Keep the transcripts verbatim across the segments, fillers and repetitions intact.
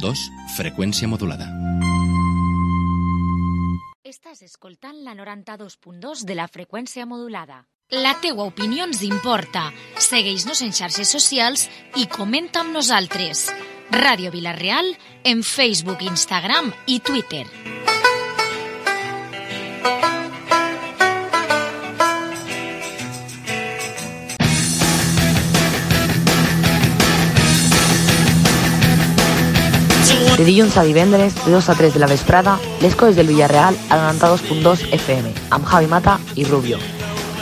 dos, freqüència modulada. Estàs escoltant la noranta-dos punt dos de la freqüència modulada. La teua opinió ens importa. Segueix-nos en xarxes socials i comenta amb nosaltres. Ràdio Vila-real en Facebook, Instagram i Twitter. De dilluns a divendres, de dos a tres de la vesprada, les coses del Villarreal a noranta-dos punt dos F M, amb Javi Mata i Rubio.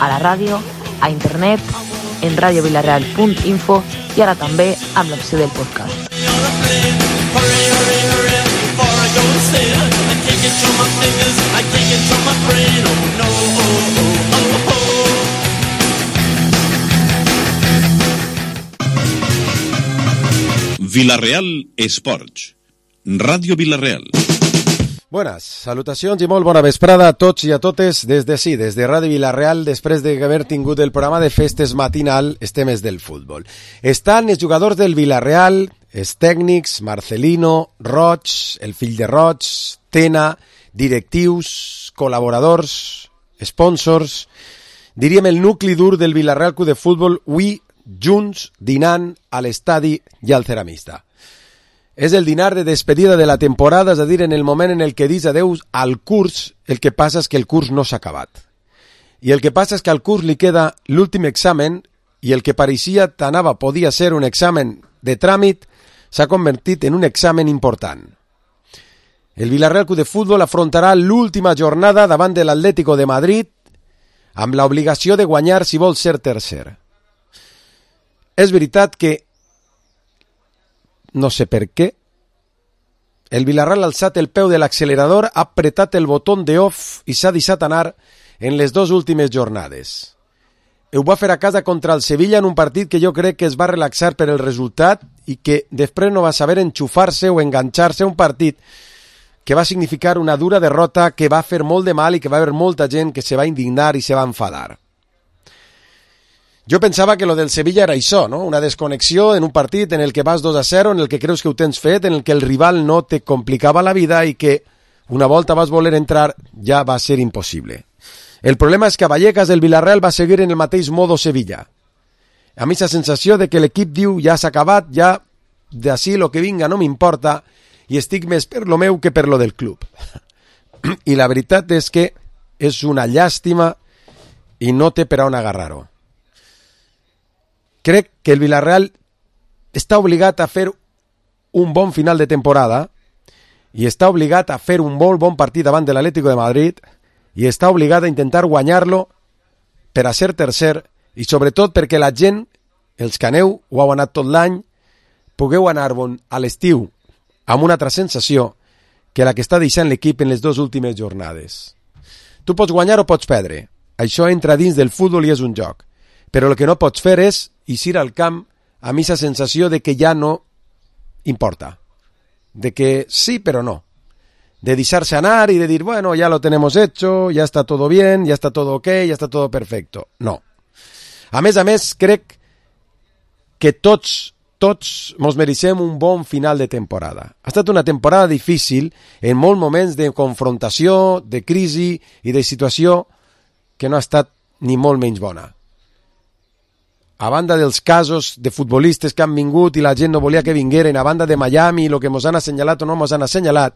A la ràdio, a internet, en radiovilareal punt info i ara també amb l'opció del podcast. Vila-real Esports. Ràdio Vila-real. Buenas, salutacions i molt bona vesprada a tots i a totes des de sí, des de Ràdio Vila-real, després d'haver tingut el programa de festes matinal, els temes del futbol. Estan els jugadors del Vila-real, els tècnics, Marcelino, Roig, el fill de Roig, Tena, directius, col·laboradors, sponsors, diríem el nucli dur del Vila-real Club de Futbol, avui junts dinant a l'estadi i al ceramista. És el dinar de despedida de la temporada, és a dir, en el moment en el que dius adeu al curs, el que passa és que el curs no s'ha acabat. I el que passa és que al curs li queda l'últim examen i el que pareixia t'anava, podia ser un examen de tràmit, s'ha convertit en un examen important. El Vila-real Club de Futbol afrontarà l'última jornada davant de l'Atlético de Madrid amb l'obligació de guanyar si vol ser tercer. És veritat que no sé per què, el Vila-real ha alçat el peu de l'accelerador, ha apretat el botó de off i s'ha deixat anar en les dues últimes jornades. Ho va fer a casa contra el Sevilla en un partit que jo crec que es va relaxar per el resultat i que després no va saber enxufar-se o enganxar-se a un partit que va significar una dura derrota que va fer molt de mal i que va haver molta gent que se va indignar i se va enfadar. Jo pensava que lo del Sevilla era això, no? Una desconnexió en un partit en el que vas dos a zero, en el que creus que ho tens fet, en el que el rival no te complicava la vida i que una volta vas voler entrar ja va ser impossible. El problema és que a Vallecas el Vila-real va seguir en el mateix modo Sevilla. A mi la sensació de que l'equip diu ja s'ha acabat, ja d'ací lo que vinga no m'importa i estic més per lo meu que per lo del club. I la veritat és que és una llàstima i no té per on agarrar-ho. Crec que el Vila-real està obligat a fer un bon final de temporada i està obligat a fer un molt bon partit davant de l'Atlético de Madrid i està obligat a intentar guanyar-lo per a ser tercer i sobretot perquè la gent, els que aneu o heu anat tot l'any, pugueu anar a l'estiu amb una altra sensació que la que està deixant l'equip en les dues últimes jornades. Tu pots guanyar o pots perdre. Això entra dins del futbol i és un joc. Però el que no pots fer és eixir al camp amb aquesta sensació de que ja no importa. De que sí, però no. De deixar-se anar y de dir, bueno, ya lo tenemos hecho, ya está todo bien, ya está todo ok, ya está todo perfecto. No. A més a més, crec que tots, tots mos mereixem un bon final de temporada. Ha estat una temporada difícil, en molts moments de confrontació, de crisi i de situació que no ha estat ni molt menys bona. A banda dels casos de futbolistes que han vingut i la gent no volia que vingueren, a banda de Miami, el que mos han assenyalat o no mos han assenyalat,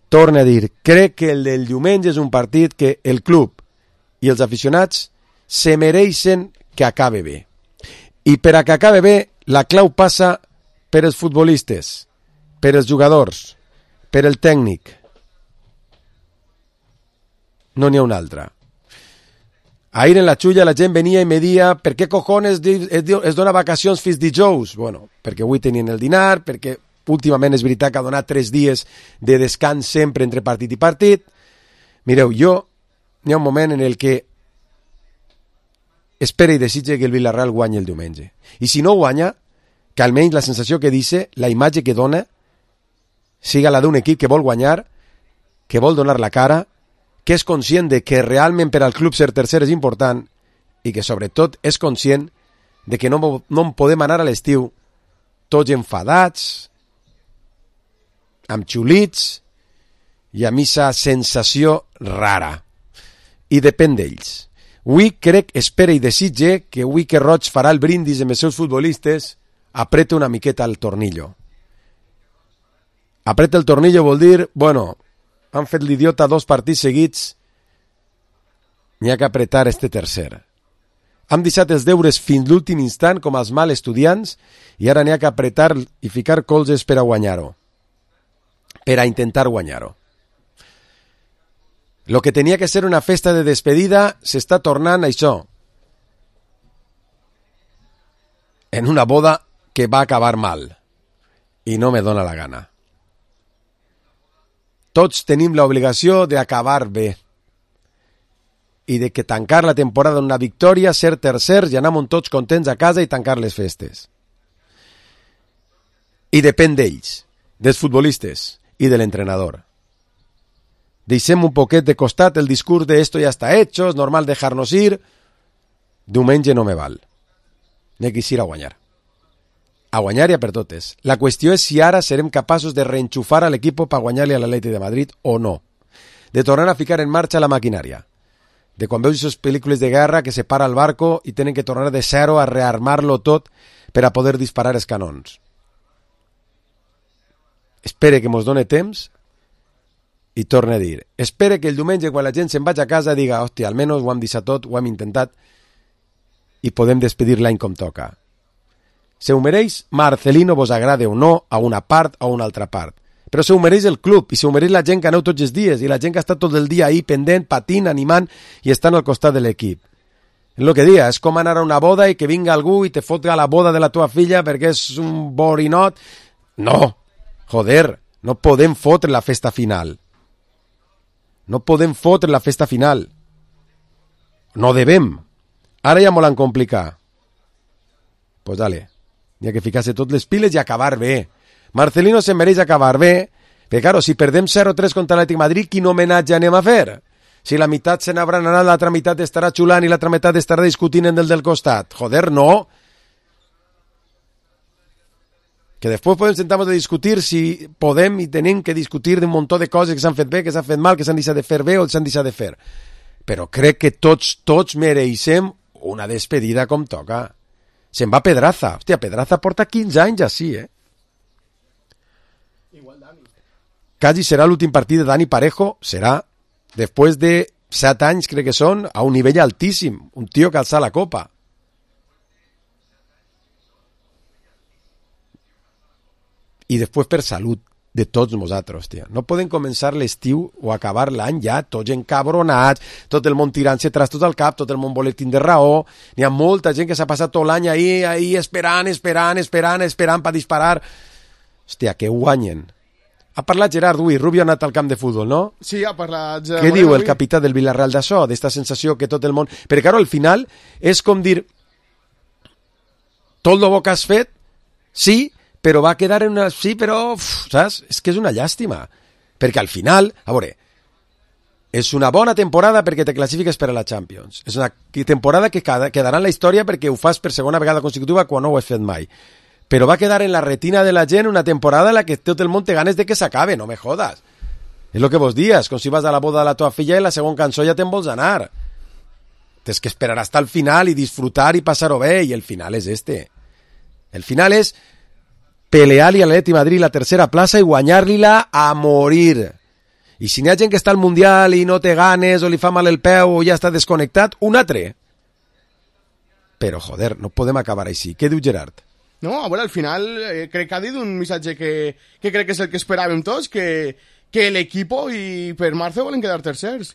torne a dir, crec que el del diumenge és un partit que el club i els aficionats se mereixen que acabe bé. I per a que acabe bé, la clau passa per els futbolistes, per els jugadors, per el tècnic. No n'hi ha una altra. Ahir en la xulla la gent venia i me dia per què cojones es dona vacacions fins dijous? Bueno, perquè avui tenien el dinar, perquè últimament és veritat que ha donat tres dies de descans sempre entre partit i partit. Mireu, jo hi ha un moment en el que espera i desitja que el Vila-real guanyi el diumenge. I si no guanya, que almenys la sensació que dice, la imatge que dona, siga la d'un equip que vol guanyar, que vol donar la cara, que és conscient de que realment per al club ser tercer és important i que sobretot és conscient de que no, no podem anar a l'estiu tots enfadats, amb xulits i amb aquesta sensació rara. I depèn d'ells. Avui crec, espera i desitge que avui que Roig farà el brindis amb els seus futbolistes, apreta una miqueta el tornillo. Apreta el tornillo vol dir, bueno, han fet l'idiota dos partits seguits, n'hi ha que apretar este tercer. Hem deixat els deures fins l'últim instant com els mal estudiants i ara n'hi ha que apretar i ficar colzes per a guanyar-ho. Per a intentar guanyar-ho. Lo que tenia que ser una festa de despedida s'està tornant això. En una boda que va acabar mal. I no me dóna la gana. Tots tenim l'obligació d'acabar bé. I de que tancar la temporada en una victòria, ser tercers i anar tots contents a casa i tancar les festes. I depèn d'ells, dels futbolistes i de l'entrenador. Deixem un poquet de costat el discurs de esto ya está hecho, es normal dejarnos ir. Diumenge no me val. N'he que ir a guanyar. A guanyar i a per totes. La qüestió és si ara serem capaços de reenxufar a l'equip per guanyar-li a l'Atlètic de Madrid o no. De tornar a ficar en marxa la maquinària. De quan veus aquestes pel·lícules de guerra que se para el barco i tenen que tornar de zero a rearmar-lo tot per a poder disparar els canons. Espere que mos done temps i torne a dir, espere que el diumenge quan la gent se'n vagi a casa diga, hòstia, almenys ho hem deixat tot, ho hem intentat i podem despedir l'any com toca. Se ho mereix Marcelino, vos agrade o no, a una part o a una altra part. Però se ho mereix el club i se ho mereix la gent que aneu tots els dies i la gent que està tot el dia ahí pendent, patint, animant i estan al costat de l'equip. És el que dia, és com anar a una boda i que vinga algú i te fotga la boda de la tua filla perquè és un borinot. No, joder, no podem fotre la festa final. No podem fotre la festa final. No devem. Ara ja m'ho l'han complicat. Pues dale. N'hi ha que ficar-se tot les piles i acabar bé. Marcelino se mereix acabar bé, perquè, claro, si perdem zero tres contra l'Atlètic Madrid, quin homenatge anem a fer? Si la meitat se n'hauran anat, l'altra meitat estarà xulant i l'altra meitat estarà discutint en el del costat. Joder, no. Que després podem sentar-nos a discutir si podem i tenim que discutir d'un muntó de coses que s'han fet bé, que s'han fet mal, que s'han deixat de fer bé o s'han deixat de fer. Però crec que tots, tots mereixem una despedida com toca. Se'n va Pedraza. Hòstia, Pedraza porta quinze anys així, eh? Igual Dani. Quasi serà l'últim partit de Dani Parejo, serà després de set anys, crec que són, a un nivell altíssim. Un tio que alça la copa. I després per salut de tots nosaltres, tia. No podem començar l'estiu o acabar l'any ja tots encabronats, tot el món tirant-se trastos al cap, tot el món voler tindre raó. N'hi ha molta gent que s'ha passat tot l'any ahí, ahí esperant, esperant, esperant, esperant per disparar. Hòstia, que guanyen. Ha parlat Gerard avui, Rubio ha anat al camp de futbol, no? Sí, ha parlat... Què diu el capità del Villarreal d'això, d'esta sensació que tot el món... Perquè, claro, al final és com dir tot el bo que has fet, sí, però va quedar en una... Sí, però... Uf, saps? És que és una llàstima. Perquè al final... A veure, és una bona temporada perquè te classifiques per a la Champions. És una temporada que quedarà en la història perquè ho fas per segona vegada consecutiva quan no ho has fet mai. Però va quedar en la retina de la gent una temporada en la que tot el món té ganes de que s'acabe, no me jodas. És el que vos dies, com si vas a la boda de la tua filla i la segona cançó ja te'n vols anar. Tens que esperar hasta el final i disfrutar i passar-ho bé, i el final és este. El final és pelear-li a l'Atlètic Madrid la tercera plaça i guanyar-li-la a morir. I si n'hi ha gent que està al Mundial i no té ganes o li fa mal el peu o ja està desconnectat, un altre. Però, joder, no podem acabar així. Què diu Gerard? No, a veure, al final eh, crec que ha dit un missatge que, que crec que és el que esperàvem tots, que, que l'equip i per Marce volen quedar tercers.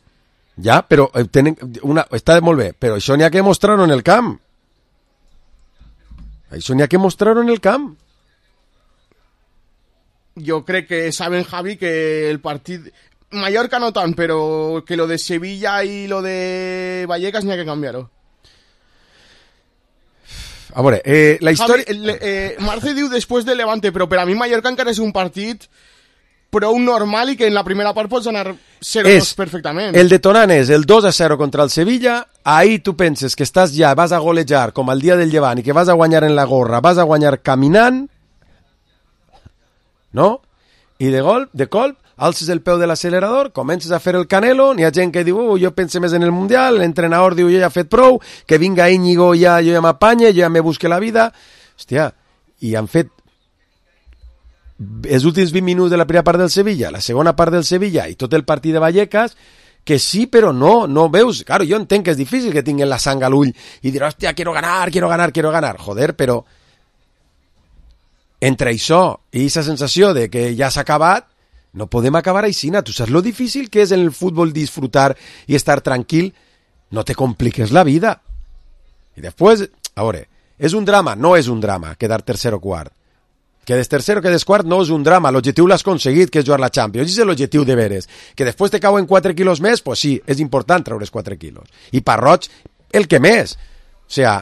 Ja, però eh, tenen una, està molt bé, però això n'hi ha que mostrar-ho en el camp. Això n'hi ha que mostrar-ho en el camp. Jo crec que saben, Javi, que el partit... Mallorca no tant, però que lo de Sevilla i lo de Vallecas n'hi ha que canviar-ho. A veure, eh, la història... Javi, eh, Marce diu després de Levante, però per a mi Mallorca encara és un partit prou normal i que en la primera part pots anar zero dos perfectament. El detonant és el dos a zero contra el Sevilla, ahí tu penses que estàs ja, vas a golejar com el dia del Llevant i que vas a guanyar en la gorra, vas a guanyar caminant, no? i de golp, de colp, alces el peu de l'accelerador, comences a fer el Canelo, n'hi ha gent que diu, oh, jo pense més en el Mundial, l'entrenador diu, jo ja he fet prou, que vinga Íñigo, ja, jo ja m'apanye, jo ja me busque la vida. Hòstia, i han fet els últims vint minuts de la primera part del Sevilla, la segona part del Sevilla i tot el partit de Vallecas, que sí, però no, no veus. Claro, jo entenc que és difícil que tinguin la sang a l'ull i dir, hòstia, quiero ganar, quiero ganar, quiero ganar. Joder, però entre això i aquesta sensació de que ja s'ha acabat, no podem acabar aixina. Tu saps lo difícil que és en el futbol disfrutar i estar tranquil? No te compliques la vida. I després, a veure, és un drama? No és un drama quedar tercer o quart. Quedes tercer o quedes quart no és un drama, l'objectiu l'has aconseguit, que és jugar la Champions, és l'objectiu de veres. Que després te cauen quatre quilos més, pues sí, és important treure's quatre quilos. I per Roig, el que més. O sea,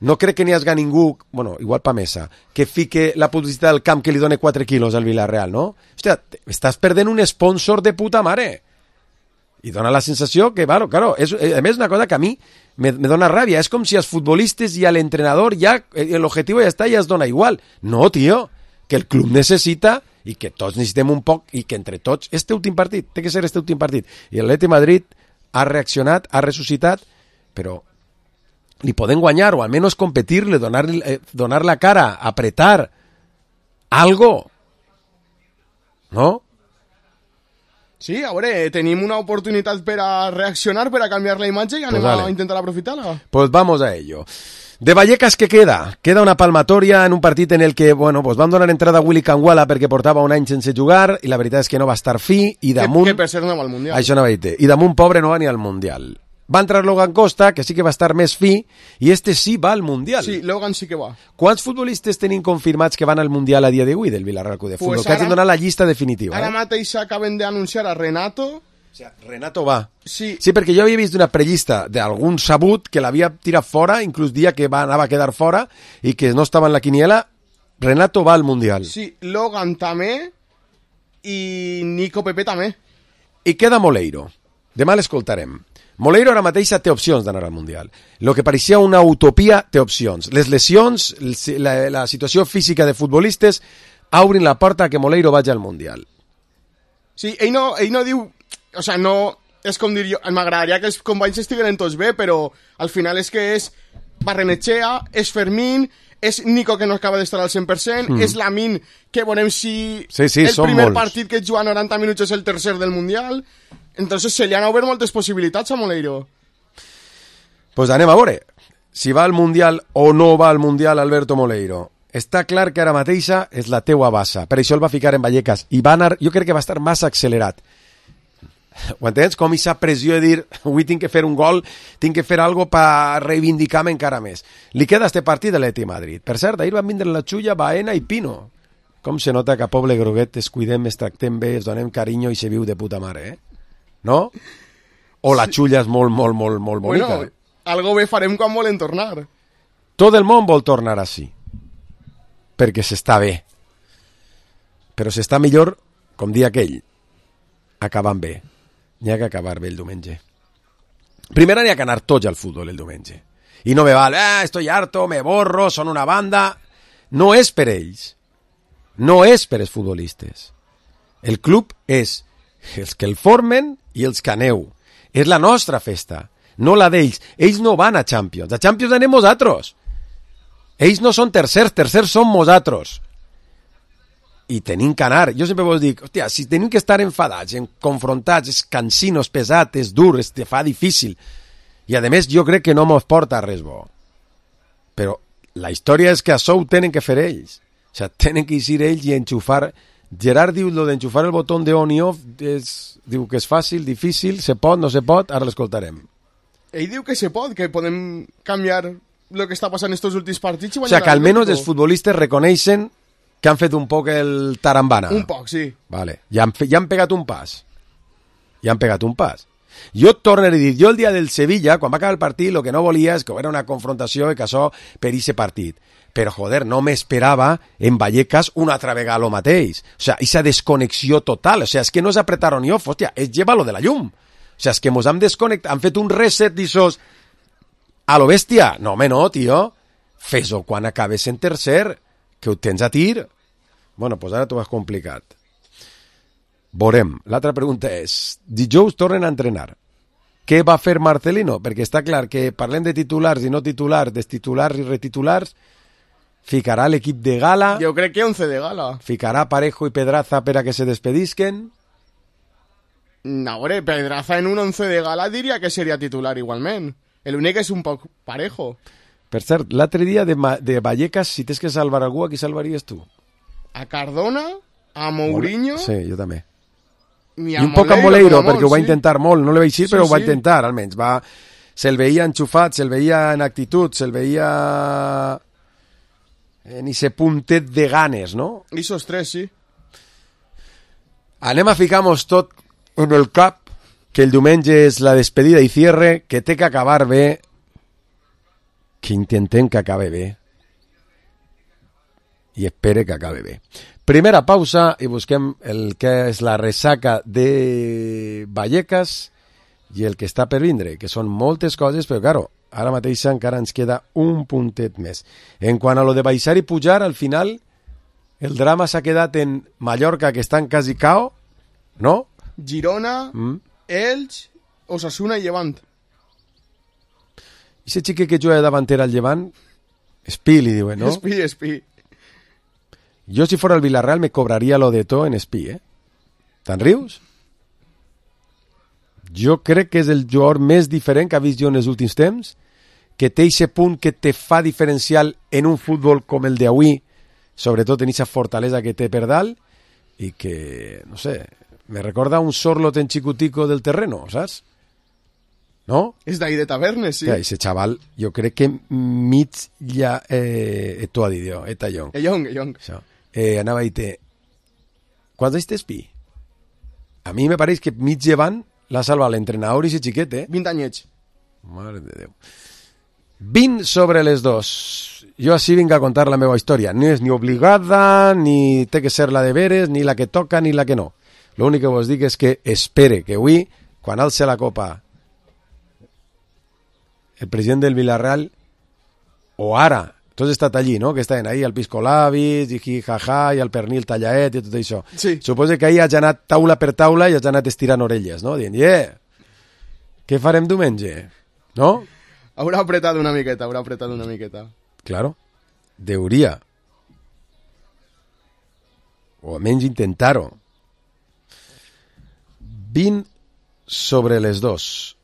no crec que n'hi hagi ningú, bueno, igual pa Mesa, que fique la publicitat del camp que li done quatre quilos al Villarreal, no? Hòstia, estàs perdent un sponsor de puta mare. I dona la sensació que, claro, claro, és, a més una cosa que a mi me, me dona ràbia, és com si als futbolistes i a l'entrenador ja, l'objectiu ja està i ja es dona igual. No, tio, que el club necessita i que tots necessitem un poc i que entre tots, este últim partit, té que ser este últim partit. I l'Atleti Madrid ha reaccionat, ha ressuscitat, però li poden guanyar o almenys competir-le, donar, eh, donar la cara, apretar, algo. No? Sí, a veure, tenim una oportunitat per a reaccionar, per a canviar la imatge i anem pues a intentar aprofitar-la. Pues vamos a ello. De Vallecas, ¿qué queda? Queda una palmatoria en un partit en el que, bueno, pues van donar entrada a Willy Canguala perquè portava un any sense jugar i la veritat és que no va estar fi i damunt... Que, que per ser no va al Mundial. Això no va dir. I damunt, pobre, no va ni al Mundial. Va entrar Logan Costa, que sí que va estar més fi, i este sí va al Mundial. Sí, Logan sí que va. Quants futbolistes tenim confirmats que van al Mundial a dia d'avui del Villarreal Club de Futbol? Pues que hagin donat la llista definitiva. Ara eh? mateix acaben d'anunciar a Renato... O sea, Renato va. Sí. Sí, perquè jo havia vist una prellista d'algun sabut que l'havia tirat fora, inclús dia que va, anava a quedar fora i que no estava en la quiniela. Renato va al Mundial. Sí, Logan també i Nico Pepe també. I queda Moleiro. Demà l'escoltarem. Moleiro ara mateix té opcions d'anar al Mundial. Lo que pareixia una utopia té opcions. Les lesions, la, la situació física de futbolistes obrin la porta que Moleiro vagi al Mundial. Sí, ell no, ell no diu... O sea, no... És com dir jo... M'agradaria que els companys estiguen tots bé, però al final és que és Barrenechea, és Fermín, és Nico que no acaba d'estar al cent per cent, mm. és Lamin, que veurem si sí, sí, el primer molts. partit que juga noranta minuts és el tercer del Mundial. Entonces se li han obert moltes possibilitats a Moleiro. Pues anem a veure si va al Mundial o no va al Mundial Alberto Moleiro. Està clar que ara mateixa és la teua bassa. Per això el va ficar en Vallecas. I va anar, jo crec que va estar massa accelerat. Ho entens? Com aquesta pressió de dir avui tinc que fer un gol, tinc que fer algo per reivindicar-me encara més. Li queda este partit de l'Atleti Madrid. Per cert, ahir van vindre la Xulla, Baena i Pino. Com se nota que a Poble Groguet es cuidem, es tractem bé, es donem carinyo i se viu de puta mare, eh? No? O la Xulla és molt, molt, molt, molt bonica. Bueno, algo bé farem quan volen tornar. Tot el món vol tornar així. Perquè s'està bé. Però s'està millor, com dia aquell, acabant bé. N'hi ha que acabar bé el diumenge. Primera n'hi ha que anar tots al futbol el diumenge. I no me val, ah, estoy harto, me borro, són una banda... No és per ells. No és per els futbolistes. El club és els que el formen i els que aneu. És la nostra festa, no la d'ells. Ells no van a Champions. A Champions anem nosaltres. Ells no són tercers, tercers són nosaltres. I tenim que anar. Jo sempre vos dic, hòstia, si tenim que estar enfadats, en confrontats, és cansino, és pesat, és dur, es te fa difícil. I a més jo crec que no mos porta res bo. Però la història és que això ho tenen que fer ells. O sigui, tenen que eixir ells i enxufar. Gerard diu lo d'enxufar el botó de on i off, és, diu que és fàcil, difícil, se pot, no se pot, ara l'escoltarem. Ell diu que se pot, que podem canviar el que està passant estos últims partits. O sigui, que almenys els futbolistes reconeixen que han fet un poc el tarambana. Un poc, sí. Vale. Ja han, ja han pegat un pas. Ja han pegat un pas. Jo et torno a dir, jo el dia del Sevilla, quan va acabar el partit, el que no volia és que era una confrontació i que això per ese partit. Però, joder, no m'esperava en Vallecas una altra vegada lo mateix. O sea, esa desconnexió total. O sea, és que no és apretar on i off, hòstia, és llevar lo de la llum. O sea, és que mos han desconnectat, han fet un reset d'ixos a lo bèstia. No, home, no, tio. Fes-ho quan acabes en tercer, que ho tens a tir. Bueno, pues ara t'ho has complicat. Veurem. L'altra pregunta és, dijous tornen a entrenar. Què va fer Marcelino? Perquè està clar que parlem de titulars i no titulars, destitulars i retitulars, ficarà l'equip de gala... Jo crec que once de gala. Ficarà Parejo i Pedraza per a que se despedisquen. No, hombre, Pedraza en un once de gala diria que seria titular igualment. L'únic és un poc Parejo. Per cert, l'altre dia de, de Vallecas, si tens que salvar algú, a qui salvaries tu? A Cardona, a Mourinho... Sí, jo també. I, I un poc a Moleiro, perquè ho va intentar molt. No li vaig dir, sí, però ho va sí. intentar, almenys. Va... Se'l veia enxufat, se'l veia en actitud, se'l veia... en ese puntet de ganes, no? Isos tres, sí. Anem a ficar-nos tot en el cap, que el diumenge és la despedida i cierre, que té que acabar bé, que intentem que acabe bé, i espere que acabe bé. Primera pausa i busquem el que és la ressaca de Vallecas i el que està per vindre, que són moltes coses, però, claro, ara mateix encara ens queda un puntet més. En quant a lo de baixar i pujar, al final, el drama s'ha quedat en Mallorca, que estan quasi cao, no? Girona, mm. Elx, Osasuna i Llevant. I ese xique que juga davanter al Llevant, Espí, li diuen, no? Espí, Espí. Jo, si fora el Villarreal, me cobraria lo de to en Espí, eh? Te'n rius? Jo crec que és el jugador més diferent que ha vist jo en els últims temps, que té aquest punt que te fa diferencial en un futbol com el d'avui, sobretot en aquesta fortalesa que té per dalt, i que, no sé, me recorda un Sorlot en xicutico del terreno, saps? No? És d'ahí de Tavernes, sí. Ja, ese xaval, jo crec que mig ja... Eh, tu ha dit jo, eta Young. E Young, e Young. Això. Eh, anava a dir-te... Quants anys té Espí? A mi me pareix que mig llevant l'ha salvat l'entrenador i ese xiquet, eh? vint anyets. Mare de Déu. vint sobre les dos. Jo així vinc a contar la meva història. No és ni obligada, ni té que ser la de veres, ni la que toca, ni la que no. L'únic que vos dic és que espere que avui, quan alce la copa el president del Villarreal, o ara, tu has estat allí, no?, que estaven ahí, el Pisco Labis, i jaja, i el pernil tallaet, i tot això. Sí. Suposo que ahir has anat taula per taula i has anat estirant orelles, no?, dient, yeah, què farem diumenge? No? Haurà apretat una miqueta, haurà apretat una miqueta. Claro, deuria. O almenys intentar-ho. vint sobre les dos.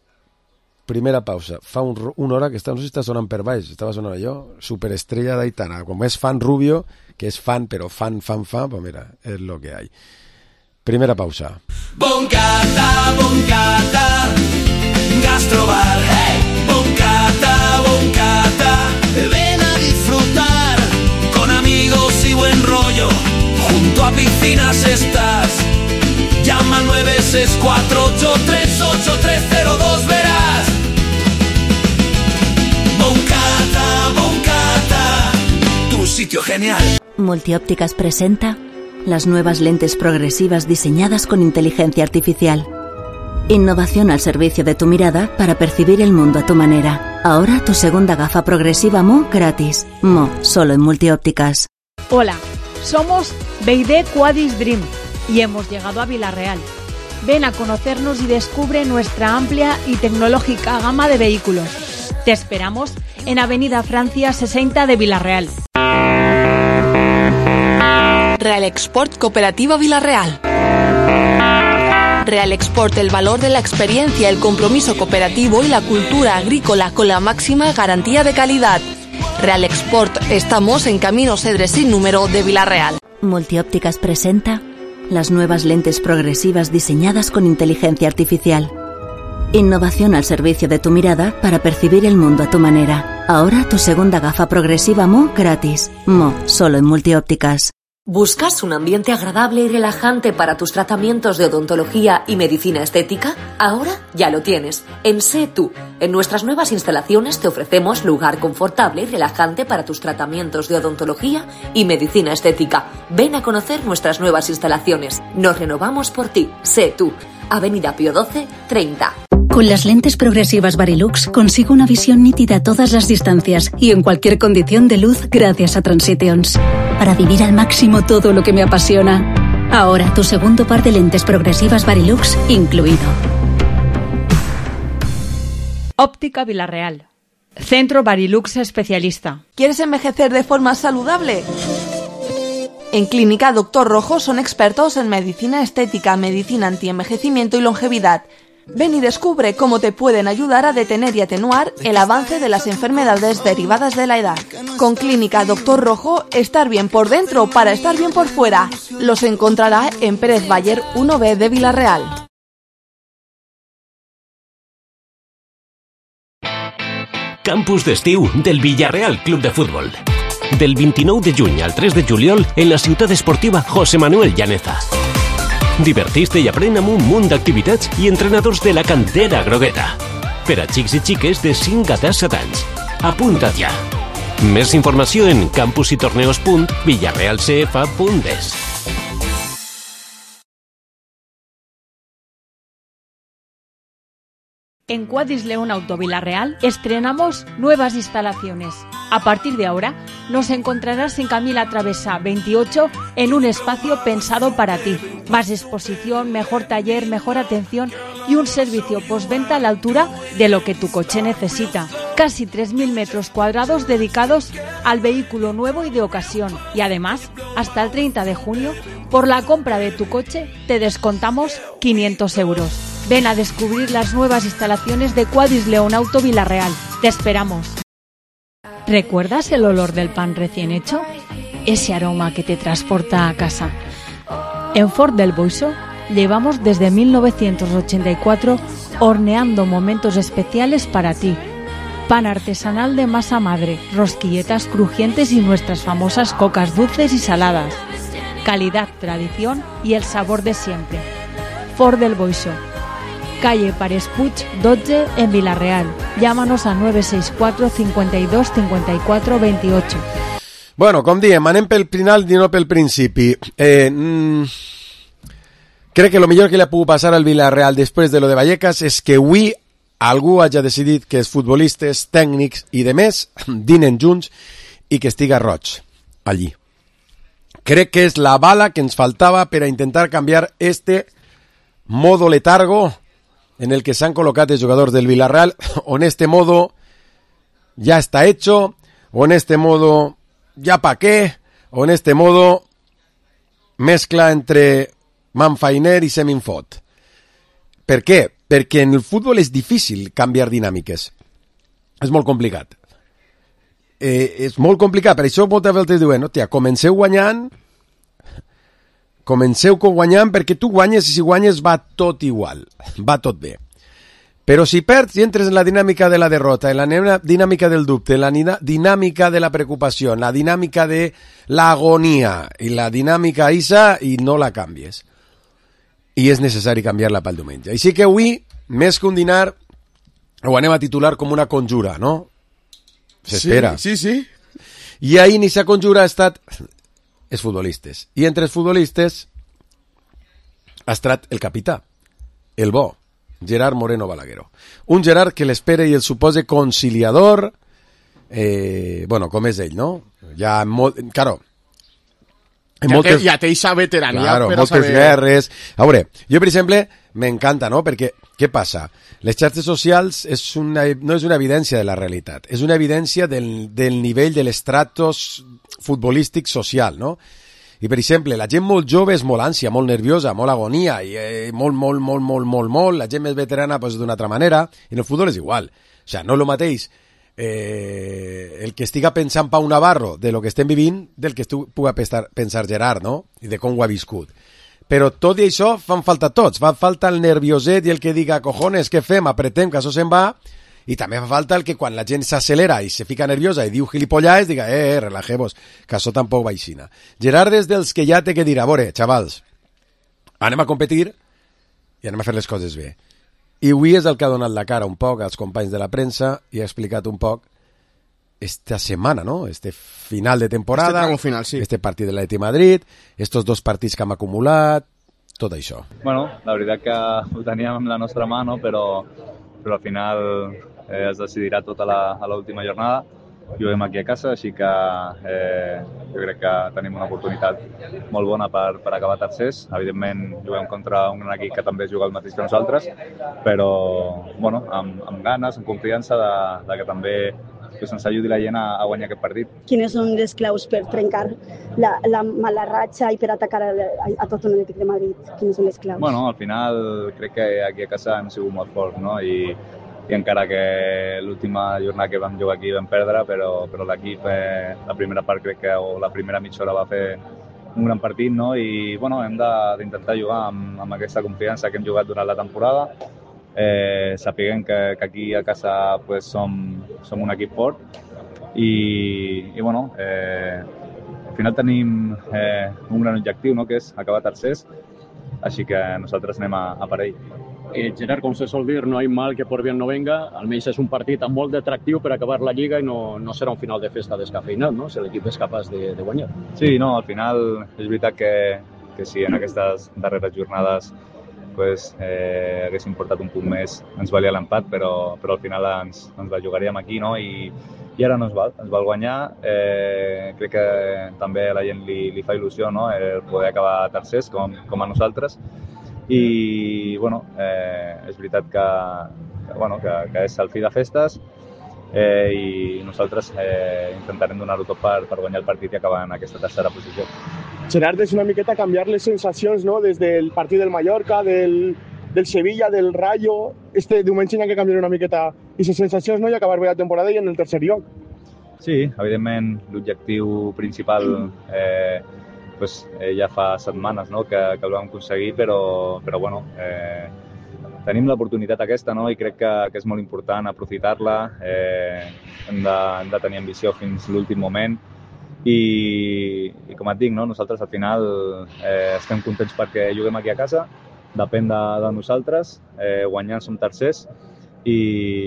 Primera pausa. Fa un, una hora que està, no sé si està sonant per baix, estava sonant allò, superestrella d'Aitana, com és fan Rubio, que és fan, però fan, fan, fan, pues mira, és lo que hay. Primera pausa. Boncata, boncata, gastrobar, hey, boncata, boncata, ven a disfrutar, con amigos y buen rollo, junto a piscinas estás, llama al nueve seis cuatro ocho tres ocho tres cero dos, verás. Boncata, boncata, tu sitio genial. Multiópticas presenta las nuevas lentes progresivas diseñadas con inteligencia artificial. Innovación al servicio de tu mirada para percibir el mundo a tu manera. Ahora tu segunda gafa progresiva M O gratis. M O, solo en Multiópticas. Hola, somos B y D Quadis Dream y hemos llegado a Villarreal. Ven a conocernos y descubre nuestra amplia y tecnológica gama de vehículos. Te esperamos en Avenida Francia sesenta de Villarreal. Real Export Cooperativa Villarreal. Real Export, el valor de la experiencia, el compromiso cooperativo y la cultura agrícola con la máxima garantía de calidad. Real Export, estamos en Camino Cedres sin número de Villarreal. Multiópticas presenta las nuevas lentes progresivas diseñadas con inteligencia artificial. Innovación al servicio de tu mirada para percibir el mundo a tu manera. Ahora tu segunda gafa progresiva M O gratis. M O, solo en Multiópticas. ¿Buscas un ambiente agradable y relajante para tus tratamientos de odontología y medicina estética? Ahora ya lo tienes. En Sé Tú. En nuestras nuevas instalaciones te ofrecemos lugar confortable y relajante para tus tratamientos de odontología y medicina estética. Ven a conocer nuestras nuevas instalaciones. Nos renovamos por ti. Sé Tú. Avenida Pío doce, treinta. Con las lentes progresivas Varilux consigo una visión nítida a todas las distancias y en cualquier condición de luz gracias a Transitions. Para vivir al máximo todo lo que me apasiona. Ahora tu segundo par de lentes progresivas Varilux incluido. Óptica Villarreal. Centro Varilux especialista. ¿Quieres envejecer de forma saludable? En Clínica Doctor Rojo son expertos en medicina estética, medicina antienvejecimiento y longevidad. Ven y descubre cómo te pueden ayudar a detener y atenuar el avance de las enfermedades derivadas de la edad. Con Clínica Doctor Rojo, estar bien por dentro para estar bien por fuera. Los encontrará en Pérez Bayer uno B de Villarreal. Campus d'estiu del Villarreal Club de Futbol. Del vint-i-nou de juny al tres de juliol en la ciutat esportiva José Manuel Llaneza. Divertís-te i aprèn amb un munt d'activitats i entrenadors de la cantera grogueta. Per a xics i xiques de cinc a disset anys. Apunta't ja. Més informació en campusitorneos punt villarrealcf punt es. En Quadis León Auto Villarreal estrenamos nuevas instalaciones. A partir de ahora nos encontrarás en Camila Travesa veintiocho en un espacio pensado para ti. Más exposición, mejor taller, mejor atención y un servicio postventa a la altura de lo que tu coche necesita. Casi tres mil metros cuadrados dedicados al vehículo nuevo y de ocasión. Y además, hasta el treinta de junio, por la compra de tu coche te descontamos quinientos euros. Ven a descubrir las nuevas instalaciones de Quadis León Auto Villarreal. Te esperamos. ¿Recuerdas el olor del pan recién hecho? Ese aroma que te transporta a casa. En Ford del Boixo llevamos desde mil novecientos ochenta y cuatro horneando momentos especiales para ti. Pan artesanal de masa madre, rosquilletas crujientes y nuestras famosas cocas dulces y saladas. Calidad, tradición y el sabor de siempre. Ford del Boixo. Calle Pares Puig dotze en Villarreal. Llámanos a nueve seis cuatro, cincuenta y dos, cincuenta y cuatro, veintiocho. Bueno, com diem, anem pel final i no pel principi. Eh, mm, crec que el millor que li ha pogut passar al Villarreal després de lo de Vallecas és que avui algú hagi decidit que els futbolistes, tècnics i demés dinen junts i que estiga roig allí. Crec que és la bala que ens faltava per a intentar canviar este modo letargo en el que s'han col·locat els jugadors del Villarreal, o en este modo ya está hecho, o en este modo ya pa' qué, o en este modo mezcla entre manfainer i seminfot. Per què? Perquè en el futbol és difícil canviar dinàmiques. És molt complicat. Eh, és molt complicat, per això moltes vegades diuen, hòstia, comenceu guanyant, comenceu guanyant perquè tu guanyes i si guanyes va tot igual, va tot bé. Però si perds i entres en la dinàmica de la derrota, en la dinàmica del dubte, en la dinàmica de la preocupació, en la dinàmica de l'agonia i la dinàmica isa i no la canvies. I és necessari canviar-la pel diumenge. Així que avui, més que un dinar, ho anem a titular com una conjura, no? S'espera. Sí, sí, sí. I ahir ni sa conjura ha estat els futbolistes. I entre els futbolistes ha estat el capità, el bo, Gerard Moreno Balagueró. Un Gerard que l'espera i el supose conciliador, eh, bueno, com és ell, no? Ja molt, claro, ja, moltes, té, ja té eixa veterania claro, per moltes saber... guerres. A veure, jo per exemple m'encanta, no? Perquè què passa? Les xarxes socials és una, no és una evidència de la realitat, és una evidència del, del nivell de l'estratos futbolístic social, no? I, per exemple, la gent molt jove és molt ànsia, molt nerviosa, molt agonia, i eh, molt, molt, molt, molt, molt, molt, la gent més veterana pues, d'una altra manera, i en el futbol és igual. O sigui, no és el mateix eh, el que estiga pensant Pau Navarro de lo que estem vivint del que puga pensar, pensar Gerard, no? I de com ho ha viscut. Però tot i això fan falta tots, fa falta el nervioset i el que diga, cojones, què fem, apretem, que això se'n va, i també fa falta el que quan la gent s'accelera i se fica nerviosa i diu gilipollades, diga, eh, eh, relajemos, que això tampoc va aixina. Gerard és dels que ja té que dir, a veure, xavals, anem a competir i anem a fer les coses bé. I avui és el que ha donat la cara un poc als companys de la premsa i ha explicat un poc esta setmana, ¿no? Este final de temporada, este final, sí. Este partit de l'Atlètic de Madrid, estos dos partits que hem acumulat, tot això. Bueno, la veritat que ho teníem amb la nostra mà, no? però, però al final eh, es decidirà tot a l'última jornada. juguem aquí a casa, així que eh, jo crec que tenim una oportunitat molt bona per, per acabar tercers. Evidentment juguem contra un gran equip que també juga el mateix que nosaltres, però bueno, amb, amb ganes, amb confiança de, de que també que ens ajudi la gent a, a guanyar aquest partit. Quines són les claus per trencar la, la mala ratxa i per atacar a, a, a tot l'Atlètic de Madrid? Quines són les claus? Bueno, al final crec que aquí a casa hem sigut molt forts, no? I, i encara que l'última jornada que vam jugar aquí vam perdre, però, però l'equip eh, la primera part crec que o la primera mitja hora va fer un gran partit, no? I bueno, hem d'intentar jugar amb, amb aquesta confiança que hem jugat durant la temporada. Eh, sapiguem que, que aquí a casa pues, som, som un equip fort i, i bueno, eh, al final tenim eh, un gran objectiu, no? Que és acabar tercers, així que nosaltres anem a, a per ell. Eh, Gerard, com se sol dir, no hay mal que por bien no venga, almenys és un partit amb molt d'atractiu per acabar la Lliga i no, no serà un final de festa descafeinat, no? Si l'equip és capaç de, de guanyar. Sí, no, al final és veritat que, que sí, en aquestes darreres jornades pues, eh, haguéssim portat un punt més, ens valia l'empat, però, però al final ens, ens la jugaríem aquí, no? I, i ara no ens val, ens val guanyar. Eh, crec que també a la gent li, li fa il·lusió, no? El poder acabar tercers, com, com a nosaltres. I, bueno, eh, és veritat que, que, bueno, que, que és el fi de festes eh, i nosaltres eh, intentarem donar-ho tot per, per guanyar el partit i acabar en aquesta tercera posició. Gerard, és una miqueta canviar les sensacions, no? Des del partit del Mallorca, del, del Sevilla, del Rayo. Este diumenge hi ha que canviar una miqueta aquestes sensacions, no? I acabar bé la temporada i en el tercer lloc. Sí, evidentment l'objectiu principal eh, pues, eh, ja fa setmanes, no? que, que el vam aconseguir, però, però bueno, eh, tenim l'oportunitat aquesta, no? I crec que, que és molt important aprofitar-la. Eh, hem, de, hem de tenir ambició fins l'últim moment. I, i com et dic, no? Nosaltres al final eh, estem contents perquè juguem aquí a casa, depèn de, de nosaltres, eh, guanyant som tercers i,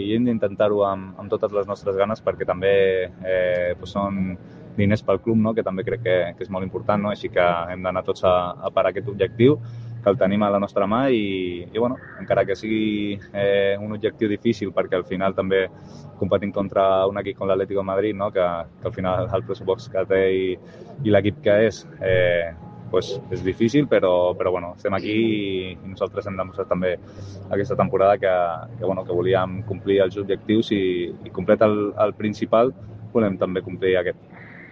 i hem d'intentar-ho amb, amb totes les nostres ganes perquè també eh, pues són diners pel club, no? Que també crec que, que és molt important, no? Així que hem d'anar tots a, a per aquest objectiu, que el tenim a la nostra mà i, i bueno, encara que sigui eh, un objectiu difícil perquè al final també competim contra un equip com l'Atlético de Madrid, no? que, que al final el pressupost que té i, i l'equip que és eh, pues és difícil, però, però bueno, estem aquí i, i nosaltres hem demostrat també aquesta temporada que, que, bueno, que volíem complir els objectius i, i complet el, el principal volem també complir aquest.